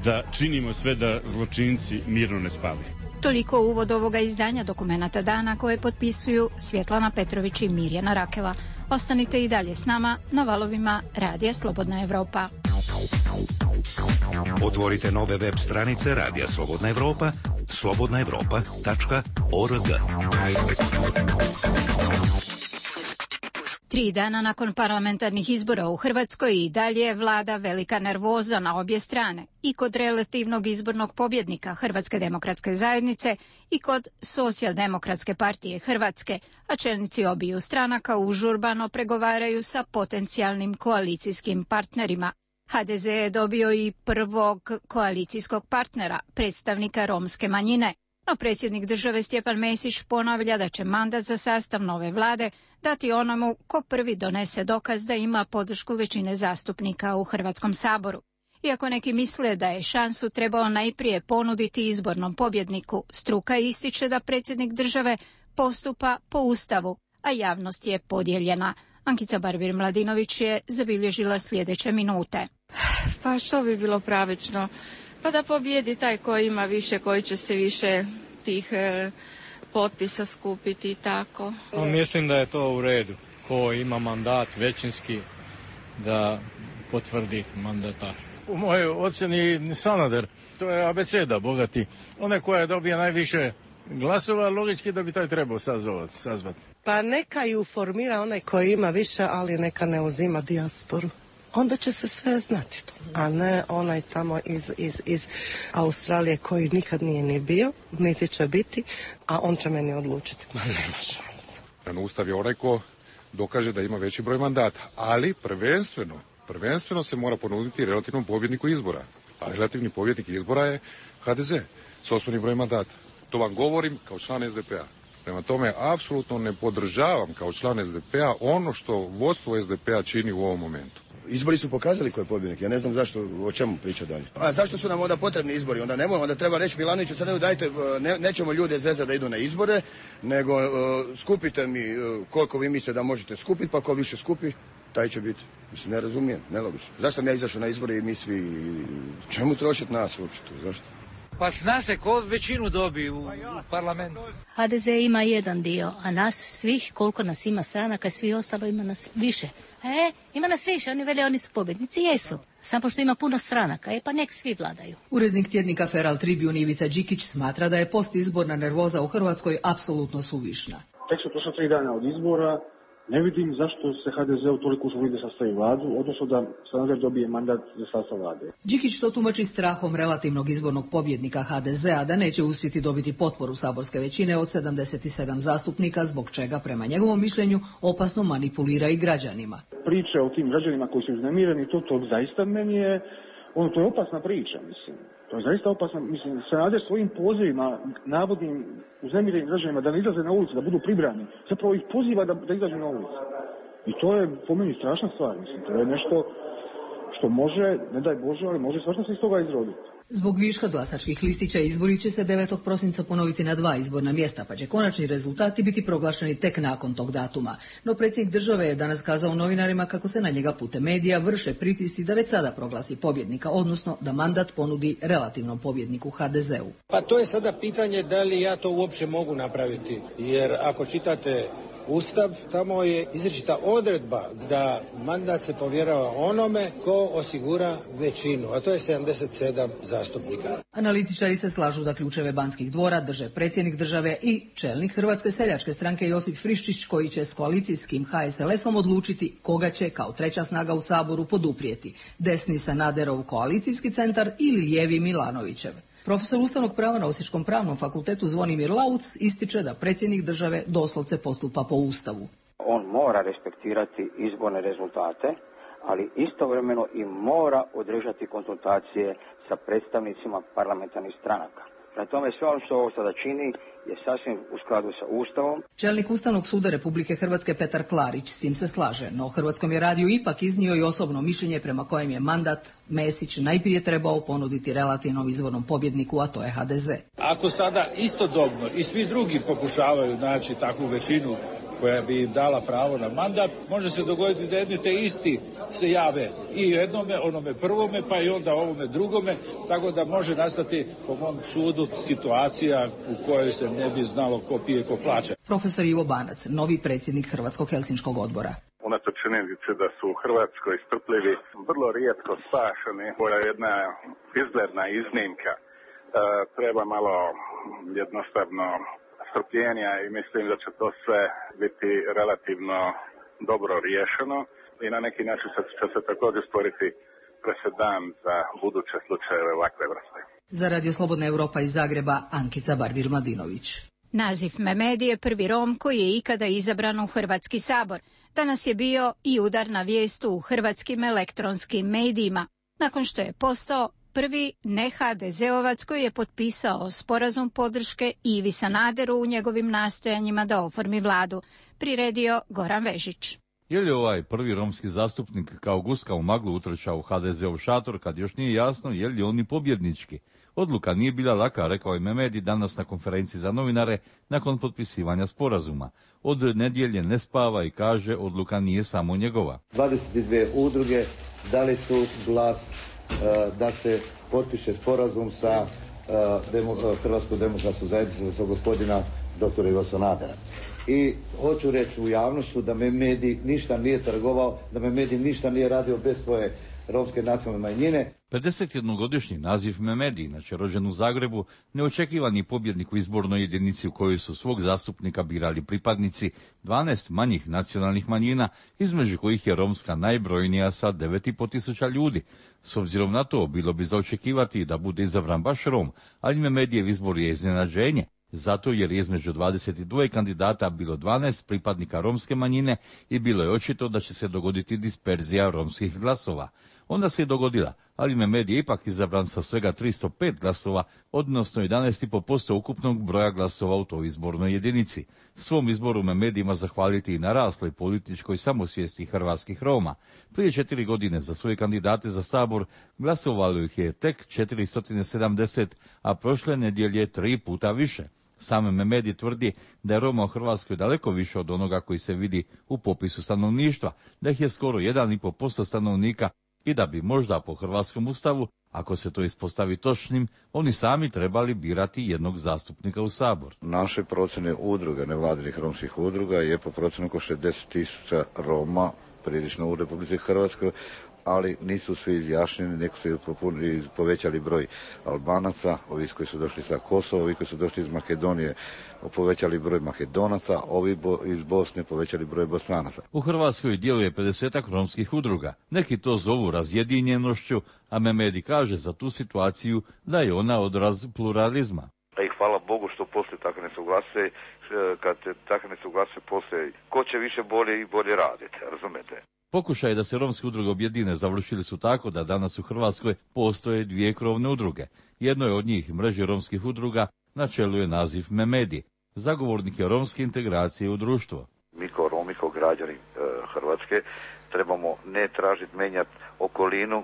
da činimo sve da zločinci mirno ne spavaju. Toliko uvod ovoga izdanja Dokumenata dana koje potpisuju Svjetlana Petrović i Mirjana Rakela. Ostanite i dalje s nama na valovima Radija Slobodna Evropa. Otvorite nove web stranice Radija Slobodna Evropa, slobodnaevropa.org. 3 dana nakon parlamentarnih izbora u Hrvatskoj i dalje vlada velika nervoza na obje strane, i kod relativnog izbornog pobjednika Hrvatske demokratske zajednice i kod Socijaldemokratske partije Hrvatske, a čelnici obiju stranaka užurbano pregovaraju sa potencijalnim koalicijskim partnerima. HDZ je dobio i prvog koalicijskog partnera, predstavnika romske manjine, no predsjednik države Stjepan Mesić ponavlja da će mandat za sastav nove vlade dati onomu ko prvi donese dokaz da ima podršku većine zastupnika u Hrvatskom saboru. Iako neki misle da je šansu trebao najprije ponuditi izbornom pobjedniku, struka ističe da predsjednik države postupa po Ustavu, a javnost je podijeljena. Ankica Barbir-Mladinović je zabilježila sljedeće minute. Pa što bi bilo pravično? Pa da pobjedi taj koji ima više, koji će se više tih potpisa skupiti i tako. Mislim da je to u redu. Ko ima mandat većinski da potvrdi mandatar. U mojoj ocjeni Sanader, to je abeceda bogati. Onaj koja dobije najviše glasova, logički da bi taj trebao sazvati. Pa neka ju formira onaj koji ima više, ali neka ne uzima dijasporu. Onda će se sve znati to, a ne onaj tamo iz Australije koji nikad nije ni bio, niti će biti, a on će meni odlučiti. Ma nema šanse. Ustav je onaj ko dokaže da ima veći broj mandata, ali prvenstveno se mora ponuditi relativnom pobjedniku izbora. A relativni pobjednik izbora je HDZ s osnovnim brojem mandata. To vam govorim kao član SDP-a. Prema tome, apsolutno ne podržavam kao član SDP-a ono što vodstvo SDP-a čini u ovom momentu. Izbori su pokazali ko je pobjednik. Ja ne znam zašto, o čemu priča dalje. A zašto su nam onda potrebni izbori? Onda treba reći Milanoviću, sad dajte, nećemo ljude zezati da idu na izbore, nego skupite mi koliko vi mislite da možete skupiti, pa ko više skupi, taj će biti. Mislim, ne razumijem, nelogično. Zašto sam ja izašao na izbore i mi svi, čemu trošiti nas uopće tu, zašto? Pa zna se ko većinu dobi u parlamentu. HDZ ima jedan dio, a nas svih, koliko nas ima stranaka, svi ostalo ima nas više. Ima nas više, oni vele oni su pobjednici, jesu. Samo što ima puno stranaka, pa nek svi vladaju. Urednik tjednika Feral Tribune Ivica Đikić smatra da je postizborna nervoza u Hrvatskoj apsolutno suvišna. Tek su prošla 3 dana od izbora Ne vidim zašto se HDZ-u toliko uslovi da sastavi vladu, odnosno da Sanader dobije mandat za sastav vlade. Đikić to tumači strahom relativnog izbornog pobjednika HDZ-a da neće uspjeti dobiti potporu saborske većine od 77 zastupnika, zbog čega, prema njegovom mišljenju, opasno manipulira i građanima. Priče o tim građanima koji su uznemireni, to zaista meni je, to je opasna priča, mislim. To je zaista opasno. Mislim, Sanader svojim pozivima, navodnim uznemirenim građanima da ne izlaze na ulicu, da budu pribrani, zapravo ih poziva da izađu na ulicu. I to je po meni strašna stvar. Mislim, to je nešto što može, ne daj Bože, ali može svašta se iz toga izroditi. Zbog viška glasačkih listića izbori će se 9. prosinca ponoviti na 2 izborna mjesta, pa će konačni rezultati biti proglašeni tek nakon tog datuma. No predsjednik države je danas kazao novinarima kako se na njega putem medija vrše pritisci da već sada proglasi pobjednika, odnosno da mandat ponudi relativnom pobjedniku HDZ-u. Pa to je sada pitanje da li ja to uopće mogu napraviti, jer ako čitate Ustav, tamo je izričita odredba da mandat se povjerava onome ko osigura većinu, a to je 77 zastupnika. Analitičari se slažu da ključeve Banskih dvora drže predsjednik države i čelnik Hrvatske seljačke stranke Josip Friščić, koji će s koalicijskim HSLS-om odlučiti koga će kao treća snaga u Saboru poduprijeti, desni Sanaderov koalicijski centar ili lijevi Milanovićev. Profesor ustavnog prava na Osječkom pravnom fakultetu Zvonimir Lauc ističe da predsjednik države doslovce postupa po Ustavu. On mora respektirati izborne rezultate, ali istovremeno i mora održati konzultacije sa predstavnicima parlamentarnih stranaka. Prema tome sve ono što ovo sada čini je sasvim u skladu sa Ustavom. Čelnik Ustavnog suda Republike Hrvatske Petar Klarić s tim se slaže, no Hrvatskom je radiju ipak iznio i osobno mišljenje prema kojem je mandat Mesić najprije trebao ponuditi relativnom izvornom pobjedniku, a to je HDZ. Ako sada istodobno i svi drugi pokušavaju naći takvu većinu koja bi im dala pravo na mandat, može se dogoditi da jedni te isti se jave i jednome, onome prvome, pa i onda ovome drugome, tako da može nastati, po mom sudu, situacija u kojoj se ne bi znalo ko pije, ko plaća. Profesor Ivo Banac, novi predsjednik Hrvatskog Helsinškog odbora. Unatoč činjenici da su u Hrvatskoj strpljivi vrlo rijetko spašeni, koja je jedna izgledna iznimka. Treba malo jednostavno strpljenja i mislim da će to sve biti relativno dobro riješeno i na neki način će se također stvoriti presedan za buduće slučajeve ovakve vrste. Za Radio Slobodna Europa iz Zagreba, Ankica Barvir-Mladinović. Nazif Memedi je prvi Rom koji je ikada izabran u Hrvatski sabor. Danas je bio i udarna vijest u hrvatskim elektronskim medijima, nakon što je postao prvi ne-HDZ-ovac koji je potpisao sporazum podrške Ivi Sanaderu u njegovim nastojanjima da oformi vladu, priredio Goran Vežić. Je li ovaj prvi romski zastupnik kao guska u maglu utrčao u HDZ-ov šator kad još nije jasno je li oni pobjednički? Odluka nije bila laka, rekao je Memedi danas na konferenciji za novinare nakon potpisivanja sporazuma. Od nedjelje ne spava i kaže odluka nije samo njegova. 22 udruge dali su glas da se potpiše sporazum sa Hrvatskom demokratskom zajednicom sa gospodina dr. Iva Sanadera. I hoću reći u javnošću da Memedi ništa nije trgovao, da Memedi ništa nije radio bez svoje romske nacionalne manjine. 51-godišnji Nazif Memedi, inače rođen u Zagrebu, neočekivani pobjednik u izbornoj jedinici u kojoj su svog zastupnika birali pripadnici 12 manjih nacionalnih manjina, između kojih je romska najbrojnija sa 9.500 ljudi. S obzirom na to, bilo bi za očekivati da bude izabran baš Rom, ali Memedijev izbor je iznenađenje, zato jer je između 22 kandidata bilo 12 pripadnika romske manjine i bilo je očito da će se dogoditi disperzija romskih glasova. Onda se je dogodila, ali Memedi je ipak izabran sa svega 305 glasova, odnosno 11,5% ukupnog broja glasova u toj izbornoj jedinici. Svom izboru Memedi ima zahvaliti i narasloj političkoj samosvijesti hrvatskih Roma. Prije 4 godine za svoje kandidate za Sabor glasovalo ih je tek 470, a prošle nedjelje 3 puta više. Sam Memedi tvrdi da je Roma u Hrvatskoj daleko više od onoga koji se vidi u popisu stanovništva, da ih je skoro 1,5% stanovnika i da bi možda po hrvatskom ustavu, ako se to ispostavi točnim, oni sami trebali birati jednog zastupnika u Sabor. Naše procjene udruga, nevladinih romskih udruga, je po procjenu oko 60.000 Roma prilično u Republici Hrvatskoj, ali nisu svi izjašnjeni, neko su povećali broj Albanaca, ovi koji su došli sa Kosova, ovi koji su došli iz Makedonije povećali broj Makedonaca, ovi iz Bosne povećali broj Bosanaca. U Hrvatskoj djeluje 50 romskih udruga. Neki to zovu razjedinjenošću, a Memedi kaže za tu situaciju da je ona odraz pluralizma. I hvala Bogu što postoje takve nesuglase, kad takve nesuglase postoje, ko će više bolje i bolje raditi, razumete? Pokušaj da se romske udruge objedine završili su tako da danas u Hrvatskoj postoje 2 krovne udruge. Jedno je od njih mreže romskih udruga, na čelu je naziv Memedi, zagovornik je romske integracije u društvo. Mi kao Romi, kao građani Hrvatske, trebamo ne tražiti menjati okolinu,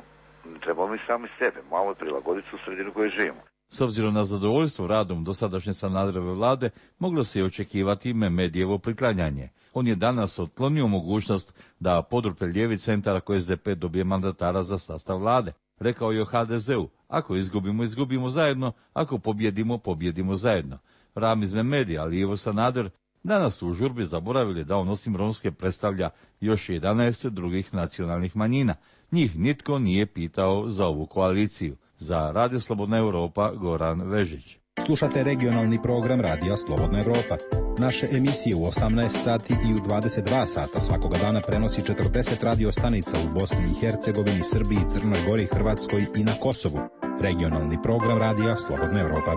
trebamo i sami sebe, malo prilagoditi u sredinu koju živimo. S obzirom na zadovoljstvo radom dosadašnje Sanaderove vlade, moglo se i očekivati Memedijevo priklanjanje. On je danas otklonio mogućnost da podrupe lijevi centar ako SDP dobije mandatara za sastav vlade. Rekao je o HDZ-u, ako izgubimo, izgubimo zajedno, ako pobjedimo, pobjedimo zajedno. Ramiz Memedi, ali i Ivo Sanader, danas su u žurbi zaboravili da on osim romske predstavlja još 11 drugih nacionalnih manjina. Njih nitko nije pitao za ovu koaliciju. Za Radio Slobodna Europa, Goran Vežić. Slušate regionalni program Radija Slobodna Europa. Naše emisije u 18 sati i u 22 sata svakoga dana prenosi 40 radio stanica u Bosni i Hercegovini, Srbiji, Crnoj Gori, Hrvatskoj i na Kosovu. Regionalni program Radija Slobodna Europa.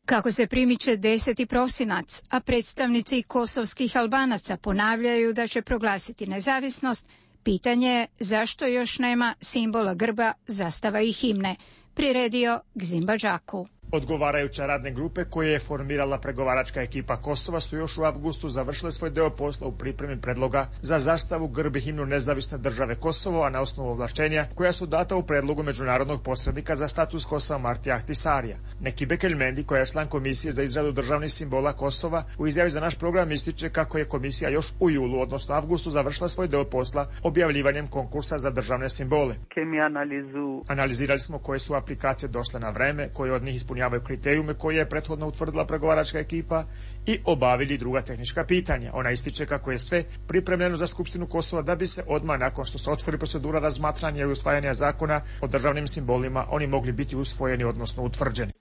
Kako se primiče 10. prosinac, a predstavnici kosovskih Albanaca ponavljaju da će proglasiti nezavisnost, pitanje je zašto još nema simbola grba, zastava i himne, priredio Gzimba Đaku. Odgovarajuće radne grupe koje je formirala pregovaračka ekipa Kosova su još u avgustu završile svoj deo posla u pripremi predloga za zastavu, grb i himnu nezavisne države Kosovo, a na osnovu ovlaštenja koja su data u predlogu međunarodnog posrednika za status Kosova Martija Ahtisarija. Nekibe Kelmendi, koja je član komisije za izradu državnih simbola Kosova, u izjavi za naš program ističe kako je komisija još u julu, odnosno avgustu, završila svoj deo posla objavljivanjem konkursa za državne simbole. Analizirali smo koje su aplikacije došle na vreme, koje od njih ispunjavaju kriterijume koje je prethodno utvrdila pregovaračka ekipa i obavili druga tehnička pitanja. Ona ističe kako je sve pripremljeno za Skupštinu Kosova da bi se odmah nakon što se otvori procedura razmatranja i usvajanja zakona o državnim simbolima oni mogli biti usvojeni, odnosno utvrđeni.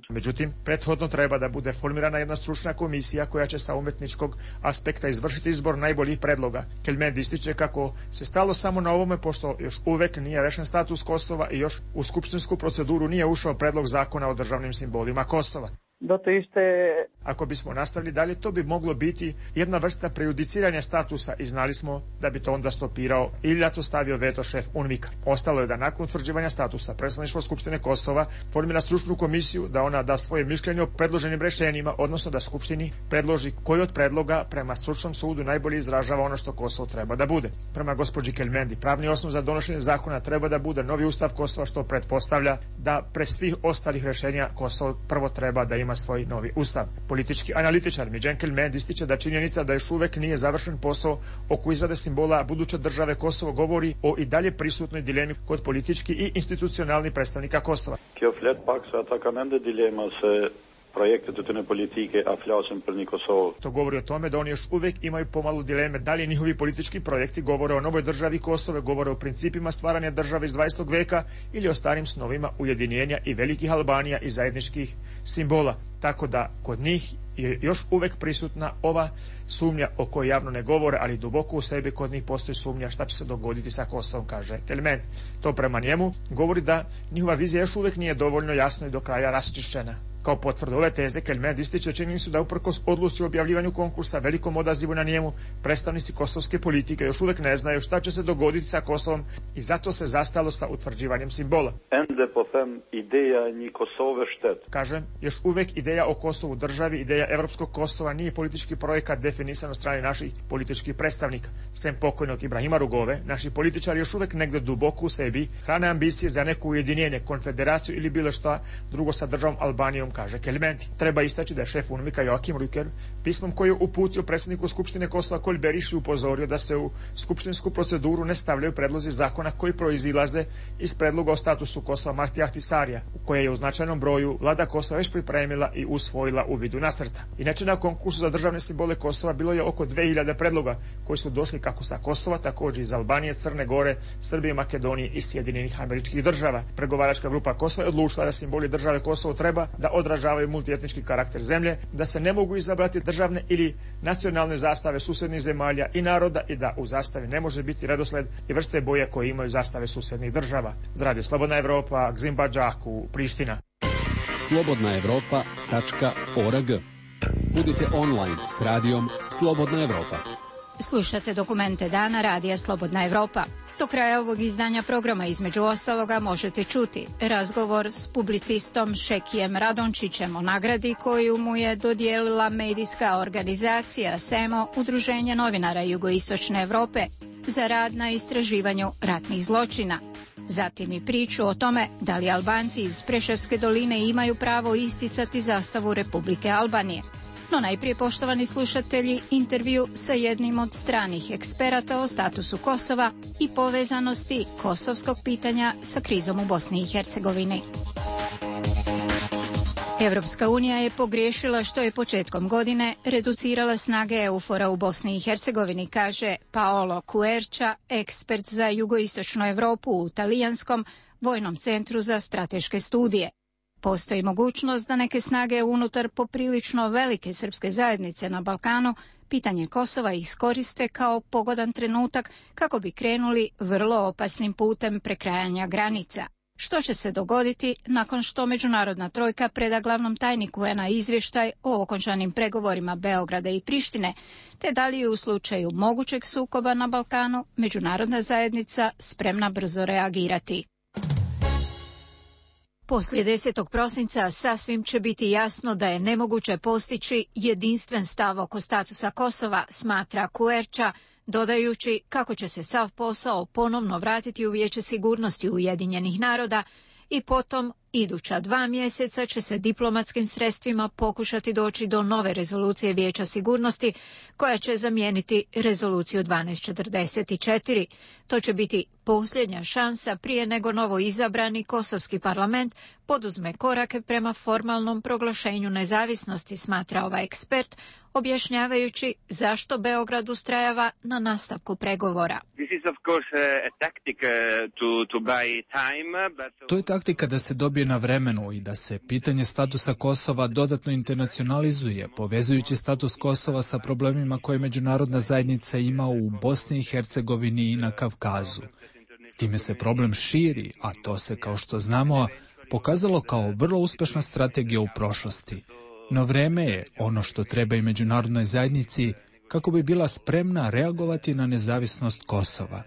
Međutim, prethodno treba da bude formirana jedna stručna komisija koja će sa umetničkog aspekta izvršiti izbor najboljih predloga. Kelmendi ističe kako se stalo samo na ovome pošto još uvek nije rešen status Kosova i još u skupštinsku proceduru nije ušao predlog zakona o državnim simbolima Kosova. Ako bismo nastavili dalje, to bi moglo biti jedna vrsta prejudiciranja statusa i znali smo da bi to onda stopirao ili da to stavio veto šef UNMIK-a. Ostalo je da nakon utvrđivanja statusa predstavništvo Skupštine Kosova formira stručnu komisiju da ona da svoje mišljenje o predloženim rešenjima, odnosno da Skupštini predloži koji od predloga prema stručnom sudu najbolje izražava ono što Kosovo treba da bude. Prema gospođi Kelmendi, pravni osnov za donošenje zakona treba da bude novi ustav Kosova, što pretpostavlja da pre svih ostalih rešenja Kosovo prvo treba da ima svoj novi ustav. Politički analitičar Midjan Kelmendi ističe da činjenica da još uvek nije završen posao oko izrade simbola buduće države Kosovo govori o i dalje prisutnoj dilemi kod politički i institucionalnih predstavnika Kosova. projekte të politike, a flasim për një Kosovë. To govori o tome da oni još uvek imaju pomalo dileme da li njihovi politički projekti govore o novoj državi Kosove, govore o principima stvaranja države iz 20. veka ili o starim snovima ujedinjenja i velikih Albanija i zajedničkih simbola. Tako da kod njih je još uvek prisutna ova sumnja o kojoj javno ne govore, ali duboko u sebi kod njih postoji sumnja šta će se dogoditi sa Kosovom, kaže Kelmendi. To prema njemu govori da njihova vizija još uvek nije dovoljno jasno i do kraja raščišćena. Kao potvrdu ove teze, Kelmendi ističe činjenicu da uprkos odluci o objavljivanju konkursa, velikom odazivu na njemu, predstavnici kosovske politike još uvek ne znaju šta će se dogoditi sa Kosovom i zato se zastalo sa utvrđivanjem simbola. Ende po them ideja një Kosove štet. Kažem, još uvek ideja o Kosovu državi, ideja evropskog Kosova nije politički projekat definisan od strane naših političkih predstavnika. Sem pokojnog Ibrahima Rugove, naši političari još uvek negde duboko u sebi hrane ambicije za neko ujedinjenje, konfederaciju ili bilo šta drugo sa državom Albanijom kaže Kelimenti. Treba istaći da je šef UNMIK-a Joachim Rücker pismom koji je uputio predsjedniku Skupštine Kosova Kolj Beriši upozorio da se u skupštinsku proceduru ne stavljaju predlozi zakona koji proizilaze iz predloga o statusu Kosova Mahtija Ahtisarija, u koje je u značajnom broju vlada Kosova već pripremila i usvojila u vidu nacrta. Inače, na konkursu za državne simbole Kosova bilo je oko 2000 predloga koji su došli kako sa Kosova, također iz Albanije, Crne Gore, Srbije, Makedonije i Sjedinjenih Američkih Država. Pregovaračka grupa Kosova je odlučila da simboli države Kosovo treba da odražavaju multietnički karakter zemlje, da se ne mogu izabrati državne ili nacionalne zastave susjednih zemalja i naroda i da u zastavi ne može biti redosled i vrste boje koje imaju zastave susjednih država. Za Radio Slobodna Evropa, Gzim Badžaku, Priština. slobodnaevropa.org. Budite online s radijom Slobodna Evropa. Slušate dokumente dana Radija Slobodna Evropa. Do kraja ovog izdanja programa između ostaloga možete čuti razgovor s publicistom Šekijem Radončićem o nagradi koju mu je dodijelila medijska organizacija SEMO, Udruženje novinara Jugoistočne Evrope, za rad na istraživanju ratnih zločina. Zatim i priču o tome da li Albanci iz Preševske doline imaju pravo isticati zastavu Republike Albanije. No najprije, poštovani slušatelji, intervju sa jednim od stranih eksperata o statusu Kosova i povezanosti kosovskog pitanja sa krizom u Bosni i Hercegovini. Evropska unija je pogriješila što je početkom godine reducirala snage EUFOR-a u Bosni i Hercegovini, kaže Paolo Quercia, ekspert za jugoistočnu Evropu u Talijanskom vojnom centru za strateške studije. Postoji mogućnost da neke snage unutar poprilično velike srpske zajednice na Balkanu pitanje Kosova iskoriste kao pogodan trenutak kako bi krenuli vrlo opasnim putem prekrajanja granica. Što će se dogoditi nakon što međunarodna trojka preda glavnom tajniku UN-a izvještaj o okončanim pregovorima Beograda i Prištine, te da li je u slučaju mogućeg sukoba na Balkanu međunarodna zajednica spremna brzo reagirati. Poslije 10. prosinca sasvim će biti jasno da je nemoguće postići jedinstven stav oko statusa Kosova, smatra Quercia, dodajući kako će se sav posao ponovno vratiti u Vijeće sigurnosti Ujedinjenih naroda i potom iduća 2 mjeseca će se diplomatskim sredstvima pokušati doći do nove rezolucije Vijeća sigurnosti koja će zamijeniti rezoluciju 1244. To će biti posljednja šansa prije nego novo izabrani kosovski parlament poduzme korake prema formalnom proglašenju nezavisnosti, smatra ovaj ekspert, objašnjavajući zašto Beograd ustrajava na nastavku pregovora. To je taktika da se dobije na vremenu i da se pitanje statusa Kosova dodatno internacionalizuje, povezujući status Kosova sa problemima koje međunarodna zajednica ima u Bosni i Hercegovini i na Kavkazu. Time se problem širi, a to se, kao što znamo, pokazalo kao vrlo uspešna strategija u prošlosti. No vreme je ono što treba i međunarodnoj zajednici kako bi bila spremna reagovati na nezavisnost Kosova.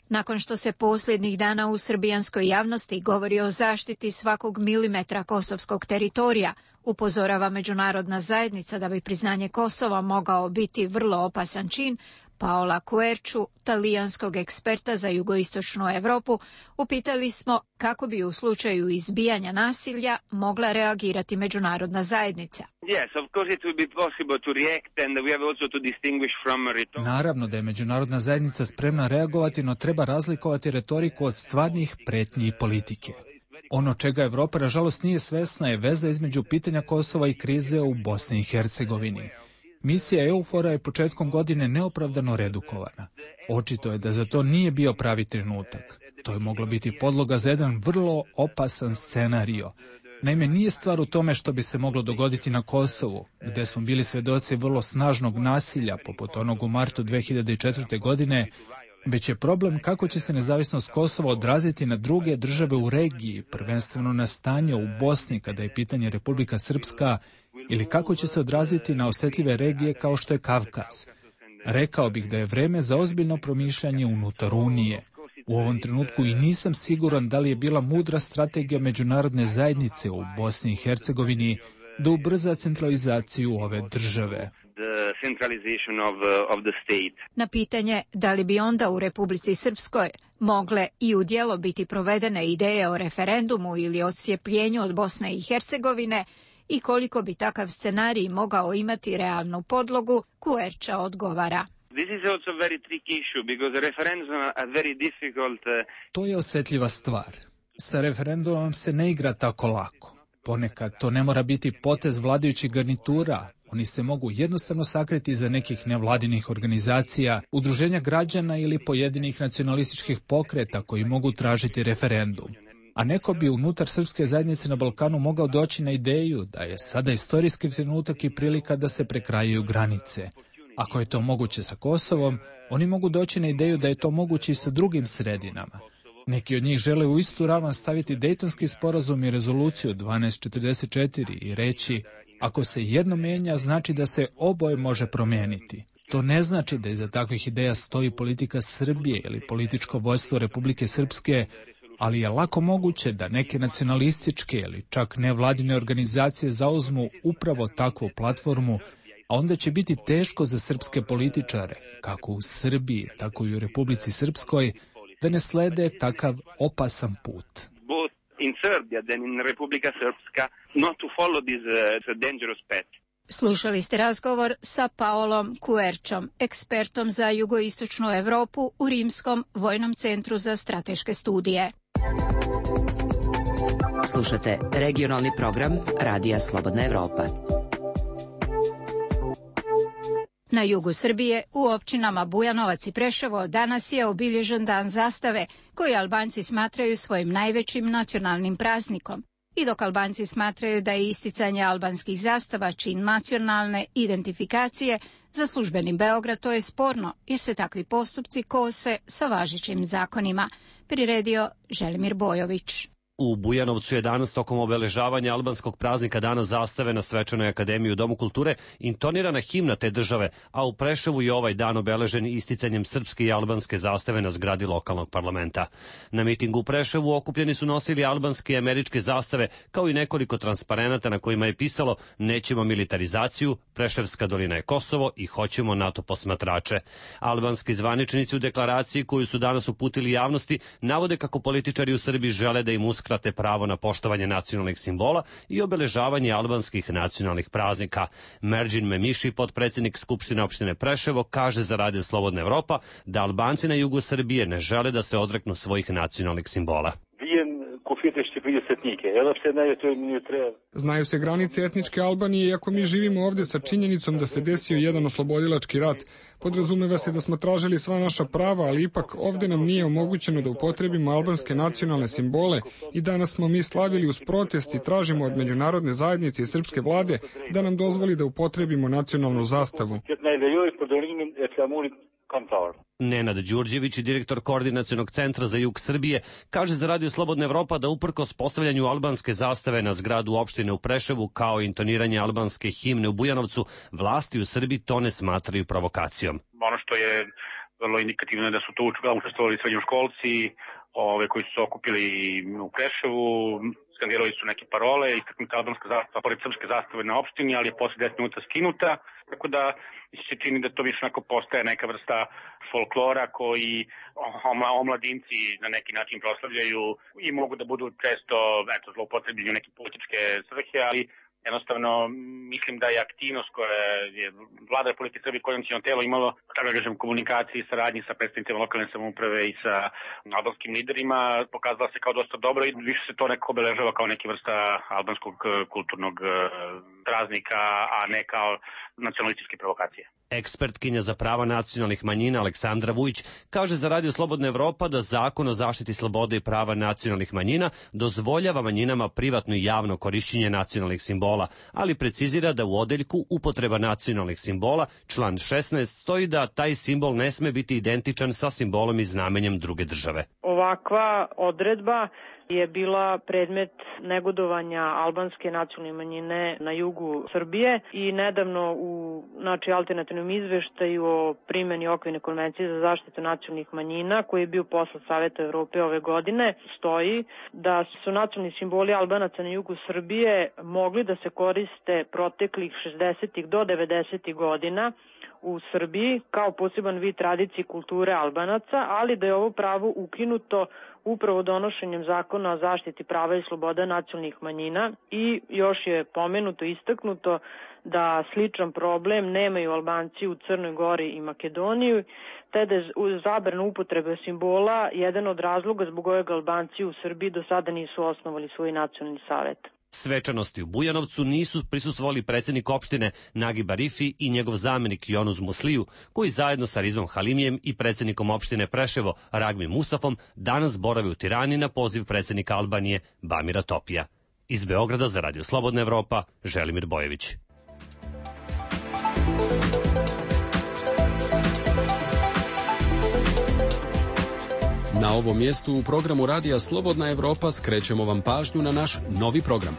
Nakon što se posljednjih dana u srbijanskoj javnosti govori o zaštiti svakog milimetra kosovskog teritorija, upozorava međunarodna zajednica da bi priznanje Kosova mogao biti vrlo opasan čin, Paola Querciu, talijanskog eksperta za jugoistočnu Evropu, upitali smo kako bi u slučaju izbijanja nasilja mogla reagirati međunarodna zajednica. Naravno da je međunarodna zajednica spremna reagovati, no treba razlikovati retoriku od stvarnih pretnji i politike. Ono čega Evropa nažalost nije svesna je veza između pitanja Kosova i krize u Bosni i Hercegovini. Misija EUFOR-a je početkom godine neopravdano redukovana. Očito je da za to nije bio pravi trenutak. To je moglo biti podloga za jedan vrlo opasan scenario. Naime, nije stvar u tome što bi se moglo dogoditi na Kosovu, gde smo bili svedoci vrlo snažnog nasilja, poput onog u martu 2004. godine, već je problem kako će se nezavisnost Kosova odraziti na druge države u regiji, prvenstveno na stanje u Bosni kada je pitanje Republika Srpska, ili kako će se odraziti na osjetljive regije kao što je Kavkaz. Rekao bih da je vreme za ozbiljno promišljanje unutar Unije. U ovom trenutku i nisam siguran da li je bila mudra strategija međunarodne zajednice u Bosni i Hercegovini da ubrza centralizaciju ove države. Na pitanje da li bi onda u Republici Srpskoj mogle i u djelo biti provedene ideje o referendumu ili odcijepljenju od Bosne i Hercegovine i koliko bi takav scenarij mogao imati realnu podlogu, Kuerča odgovara. To je osjetljiva stvar. Sa referendumom se ne igra tako lako. Ponekad to ne mora biti potez vladajućih garnitura. Oni se mogu jednostavno sakriti iza nekih nevladinih organizacija, udruženja građana ili pojedinih nacionalističkih pokreta koji mogu tražiti referendum. A neko bi unutar srpske zajednice na Balkanu mogao doći na ideju da je sada istorijski trenutak i prilika da se prekrajaju granice. Ako je to moguće sa Kosovom, oni mogu doći na ideju da je to moguće i sa drugim sredinama. Neki od njih žele u istu ravan staviti Dejtonski sporazum i rezoluciju 1244 i reći, ako se jedno menja, znači da se oboje može promijeniti. To ne znači da iza takvih ideja stoji politika Srbije ili političko vodstvo Republike Srpske, ali je lako moguće da neke nacionalističke ili čak nevladine organizacije zauzmu upravo takvu platformu, a onda će biti teško za srpske političare, kako u Srbiji, tako i u Republici Srpskoj, da ne slede takav opasan put. Slušali ste razgovor sa Paolom Kuerčom, ekspertom za jugoistočnu Europu u Rimskom vojnom centru za strateške studije. Slušate regionalni program Radija Slobodna Evropa. Na jugu Srbije, u općinama Bujanovac i Preševo, danas je obilježen Dan zastave, koji Albanci smatraju svojim najvećim nacionalnim praznikom. I dok Albanci smatraju da je isticanje albanskih zastava čin nacionalne identifikacije, za službeni Beograd to je sporno, jer se takvi postupci kose sa važećim zakonima, priredio Želimir Bojović. U Bujanovcu je danas tokom obeležavanja albanskog praznika Dana zastave na Svečanoj akademiji u Domu kulture intonirana himna te države, a u Preševu je ovaj dan obeležen isticanjem srpske i albanske zastave na zgradi lokalnog parlamenta. Na mitingu u Preševu okupljeni su nosili albanske i američke zastave, kao i nekoliko transparenata na kojima je pisalo "Nećemo militarizaciju, Preševska dolina je Kosovo i hoćemo NATO posmatrače". Albanski zvaničnici u deklaraciji koju su danas uputili javnosti navode kako političari u Srbiji žele da im uskrate pravo na poštovanje nacionalnih simbola i obeležavanje albanskih nacionalnih praznika. Merđin Memiši, potpredsjednik Skupštine opštine Preševo, kaže za Radio Slobodna Evropa da Albanci na jugu Srbije ne žele da se odreknu svojih nacionalnih simbola. Znaju se granice etničke Albanije, iako mi živimo ovdje sa činjenicom da se desio jedan oslobodilački rat. Podrazumeva se da smo tražili sva naša prava, ali ipak ovdje nam nije omogućeno da upotrebimo albanske nacionalne simbole i danas smo mi slavili uz protest i tražimo od međunarodne zajednice i srpske vlade da nam dozvoli da upotrebimo nacionalnu zastavu. Nenad Đurđević, direktor Koordinacionog centra za jug Srbije, kaže za Radio Slobodna Evropa da uprkos postavljanju albanske zastave na zgradu opštine u Preševu kao intoniranje albanske himne u Bujanovcu, vlasti u Srbiji to ne smatraju provokacijom. Ono što je vrlo indikativno je da su to učestvovali srednjoškolci koji su se okupili u Preševu, skandirali su neke parole, istaknuta albanska zastava pored srpske zastave na opštini, ali je posle 10 minuta skinuta, tako da se čini da to više onako postaje neka vrsta folklora koji omladinci na neki način proslavljaju i mogu da budu često zloupotrebljeni u neke političke svrhe, ali jednostavno mislim da je aktivnost koja je vlada Republike Srbije koordinaciono telo imalo, da kažem, komunikaciji, saradnji sa predstavnicima lokalne samouprave i sa albanskim liderima pokazala se kao dosta dobro i više se to nekako obeležava kao neka vrsta albanskog kulturnog praznika, a ne kao nacionalističke provokacije. Ekspertkinja za prava nacionalnih manjina Aleksandra Vujić kaže za Radio Slobodna Evropa da Zakon o zaštiti slobode i prava nacionalnih manjina dozvoljava manjinama privatno i javno korišćenje nacionalnih simbola, ali precizira da u odeljku upotreba nacionalnih simbola, član 16, stoji da taj simbol ne sme biti identičan sa simbolom i znamenjem druge države. Ovakva odredba je bila predmet negodovanja albanske nacionalne manjine na jugu Srbije i nedavno u alternativnom izveštaju o primjeni okvirne konvencije za zaštitu nacionalnih manjina koji je bio poslat Saveta Evrope ove godine stoji da su nacionalni simboli Albanaca na jugu Srbije mogli da se koriste proteklih 60. do 90. godina u Srbiji kao poseban vid tradicije i kulture Albanaca, ali da je ovo pravo ukinuto upravo donošenjem zakona o zaštiti prava i sloboda nacionalnih manjina i još je pomenuto, istaknuto da sličan problem nemaju Albanci u Crnoj Gori i Makedoniji, te da je zabrana upotrebe simbola jedan od razloga zbog kojeg Albanci u Srbiji do sada nisu osnovali svoj nacionalni savet. Svečanosti u Bujanovcu nisu prisustvovali predsjednik opštine Nagib Arifi i njegov zamjenik Jonuz Musliju, koji zajedno sa Rizvom Halimijem i predsjednikom opštine Preševo Ragmi Mustafom danas borave u Tirani na poziv predsjednika Albanije Bamira Topija. Iz Beograda za Radio Slobodna Evropa, Želimir Bojević. Na ovom mjestu u programu Radija Slobodna Evropa skrećemo vam pažnju na naš novi program.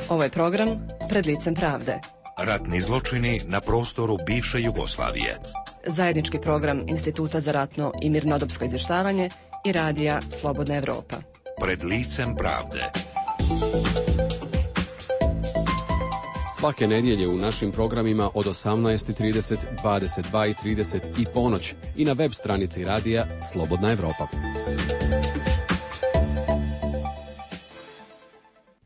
Ovo je program Pred licem pravde. Ratni zločini na prostoru bivše Jugoslavije. Zajednički program Instituta za ratno i mirnodopsko izvještavanje i Radija Slobodna Evropa. Pred licem pravde. Svake nedjelje u našim programima od 18:30, 22:30 i ponoć i na web stranici Radija Slobodna Evropa.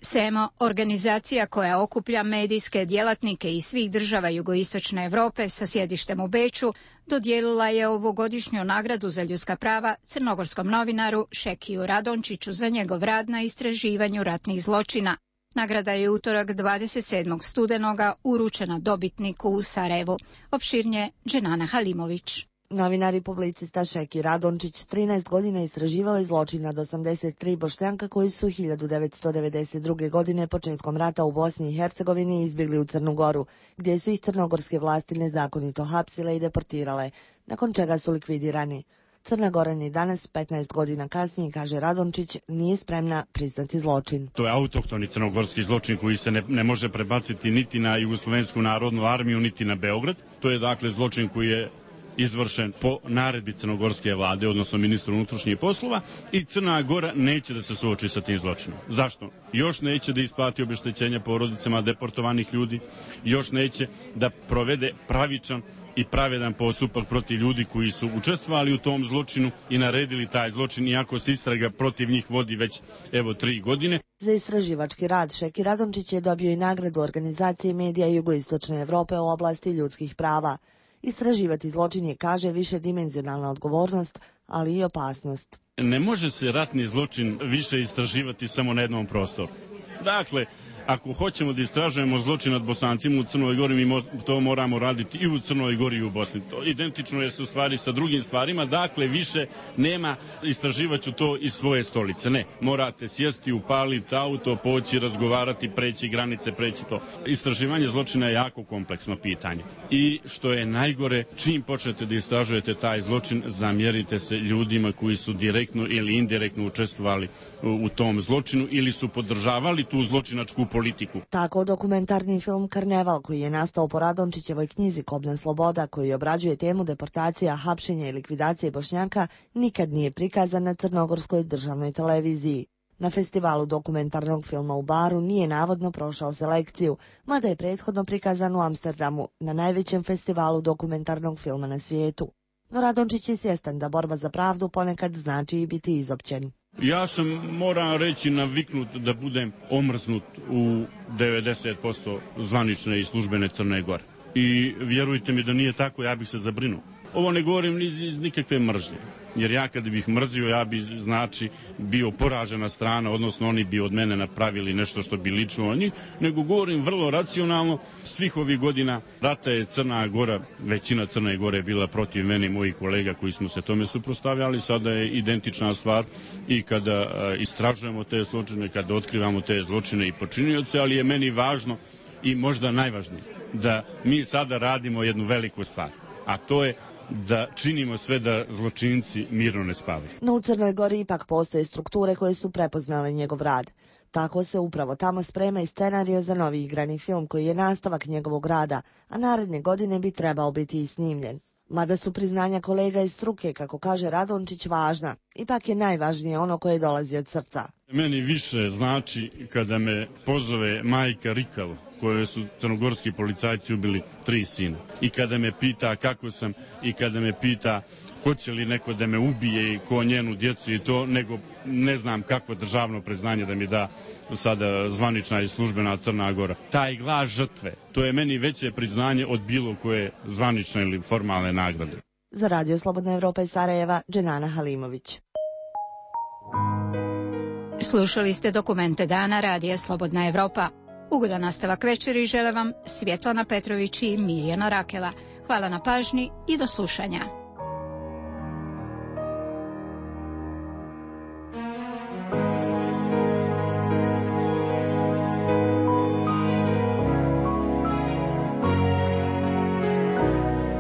SEMO, organizacija koja okuplja medijske djelatnike iz svih država jugoistočne Europe sa sjedištem u Beču, dodijelila je ovogodišnju nagradu za ljudska prava crnogorskom novinaru Šekiju Radončiću za njegov rad na istraživanju ratnih zločina. Nagrada je utorak 27. studenoga uručena dobitniku u Sarajevu. Opširnije Dženana Halimović. Novinar i publicista Šeki Radončić 13 godina istraživao je zločin nad 83 Bošnjaka koji su 1992. godine početkom rata u Bosni i Hercegovini izbjegli u Crnu Goru, gdje su ih crnogorske vlasti nezakonito hapsile i deportirale, nakon čega su likvidirani. Crna Gora ni danas, 15 godina kasnije, kaže Radončić, nije spremna priznati zločin. To je autohtoni crnogorski zločin koji se ne može prebaciti niti na Jugoslovensku narodnu armiju, niti na Beograd. To je dakle zločin koji je izvršen po naredbi crnogorske vlade, odnosno ministru unutrašnjih poslova, i Crna Gora neće da se suoči sa tim zločinom. Zašto? Još neće da isplati obeštećenja porodicama deportovanih ljudi, još neće da provede pravičan i pravedan postupak protiv ljudi koji su učestvovali u tom zločinu i naredili taj zločin, iako se istraga protiv njih vodi već 3 godine. Za istraživački rad Šeki Radončić je dobio i nagradu organizacije medija Jugoistočne Evrope u oblasti ljudskih prava. Istraživati zločin je, kaže, višedimenzionalna odgovornost, ali i opasnost. Ne može se ratni zločin više istraživati samo na jednom prostoru. Dakle, ako hoćemo da istražujemo zločin nad Bosancima u Crnoj Gori, mi to moramo raditi i u Crnoj Gori i u Bosni. To identično je u stvari sa drugim stvarima, dakle više nema istraživaću to iz svoje stolice. Ne, morate sjesti, upaliti auto, poći, razgovarati, preći granice, preći to. Istraživanje zločina je jako kompleksno pitanje. I što je najgore, čim počnete da istražujete taj zločin, zamjerite se ljudima koji su direktno ili indirektno učestvovali u tom zločinu ili su podržavali tu zločinačku politiku. Tako dokumentarni film Karneval, koji je nastao po Radončićevoj knjizi Kobna sloboda, koji obrađuje temu deportacija, hapšenja i likvidacije Bošnjaka, nikad nije prikazan na crnogorskoj državnoj televiziji. Na festivalu dokumentarnog filma u Baru nije navodno prošao selekciju, mada je prethodno prikazan u Amsterdamu, na najvećem festivalu dokumentarnog filma na svijetu. No Radončić je svjestan da borba za pravdu ponekad znači i biti izopćen. Ja sam, moram reći, naviknut da budem omrznut u 90% zvanične i službene Crne Gore. I vjerujte mi da nije tako, ja bih se zabrinuo. Ovo ne govorim iz nikakve mržnje, jer ja kad bih mrzio, ja bi, znači, bio poražena strana, odnosno oni bi od mene napravili nešto što bi lično o njih, nego govorim vrlo racionalno. Svih ovih godina rata je Crna Gora, većina Crne Gore bila protiv mene i mojih kolega koji smo se tome suprotstavljali, sada je identična stvar i kada istražujemo te zločine, kada otkrivamo te zločine i počinioce, ali je meni važno i možda najvažnije da mi sada radimo jednu veliku stvar, a to je da činimo sve da zločinci mirno ne spavaju. No u Crnoj Gori ipak postoje strukture koje su prepoznale njegov rad. Tako se upravo tamo sprema i scenario za novi igrani film koji je nastavak njegovog rada, a naredne godine bi trebao biti i snimljen. Mada su priznanja kolega iz struke, kako kaže Radončić, važna, ipak je najvažnije ono koje dolazi od srca. Meni više znači kada me pozove majka Rikavo, koje su crnogorski policajci ubili 3 sina. I kada me pita kako sam i kada me pita hoće li neko da me ubije i ko njenu djecu i to, nego ne znam kakvo državno priznanje da mi da sada zvanična i službena Crna Gora. Taj glas žrtve, to je meni veće priznanje od bilo koje zvanične ili formalne nagrade. Za Radio Slobodna Evropa iz Sarajeva, Dženana Halimović. Slušali ste Dokumente dana Radija Slobodna Evropa. Ugodan nastavak večeri žele vam Svjetlana Petrović i Mirjana Rakela. Hvala na pažnji i do slušanja.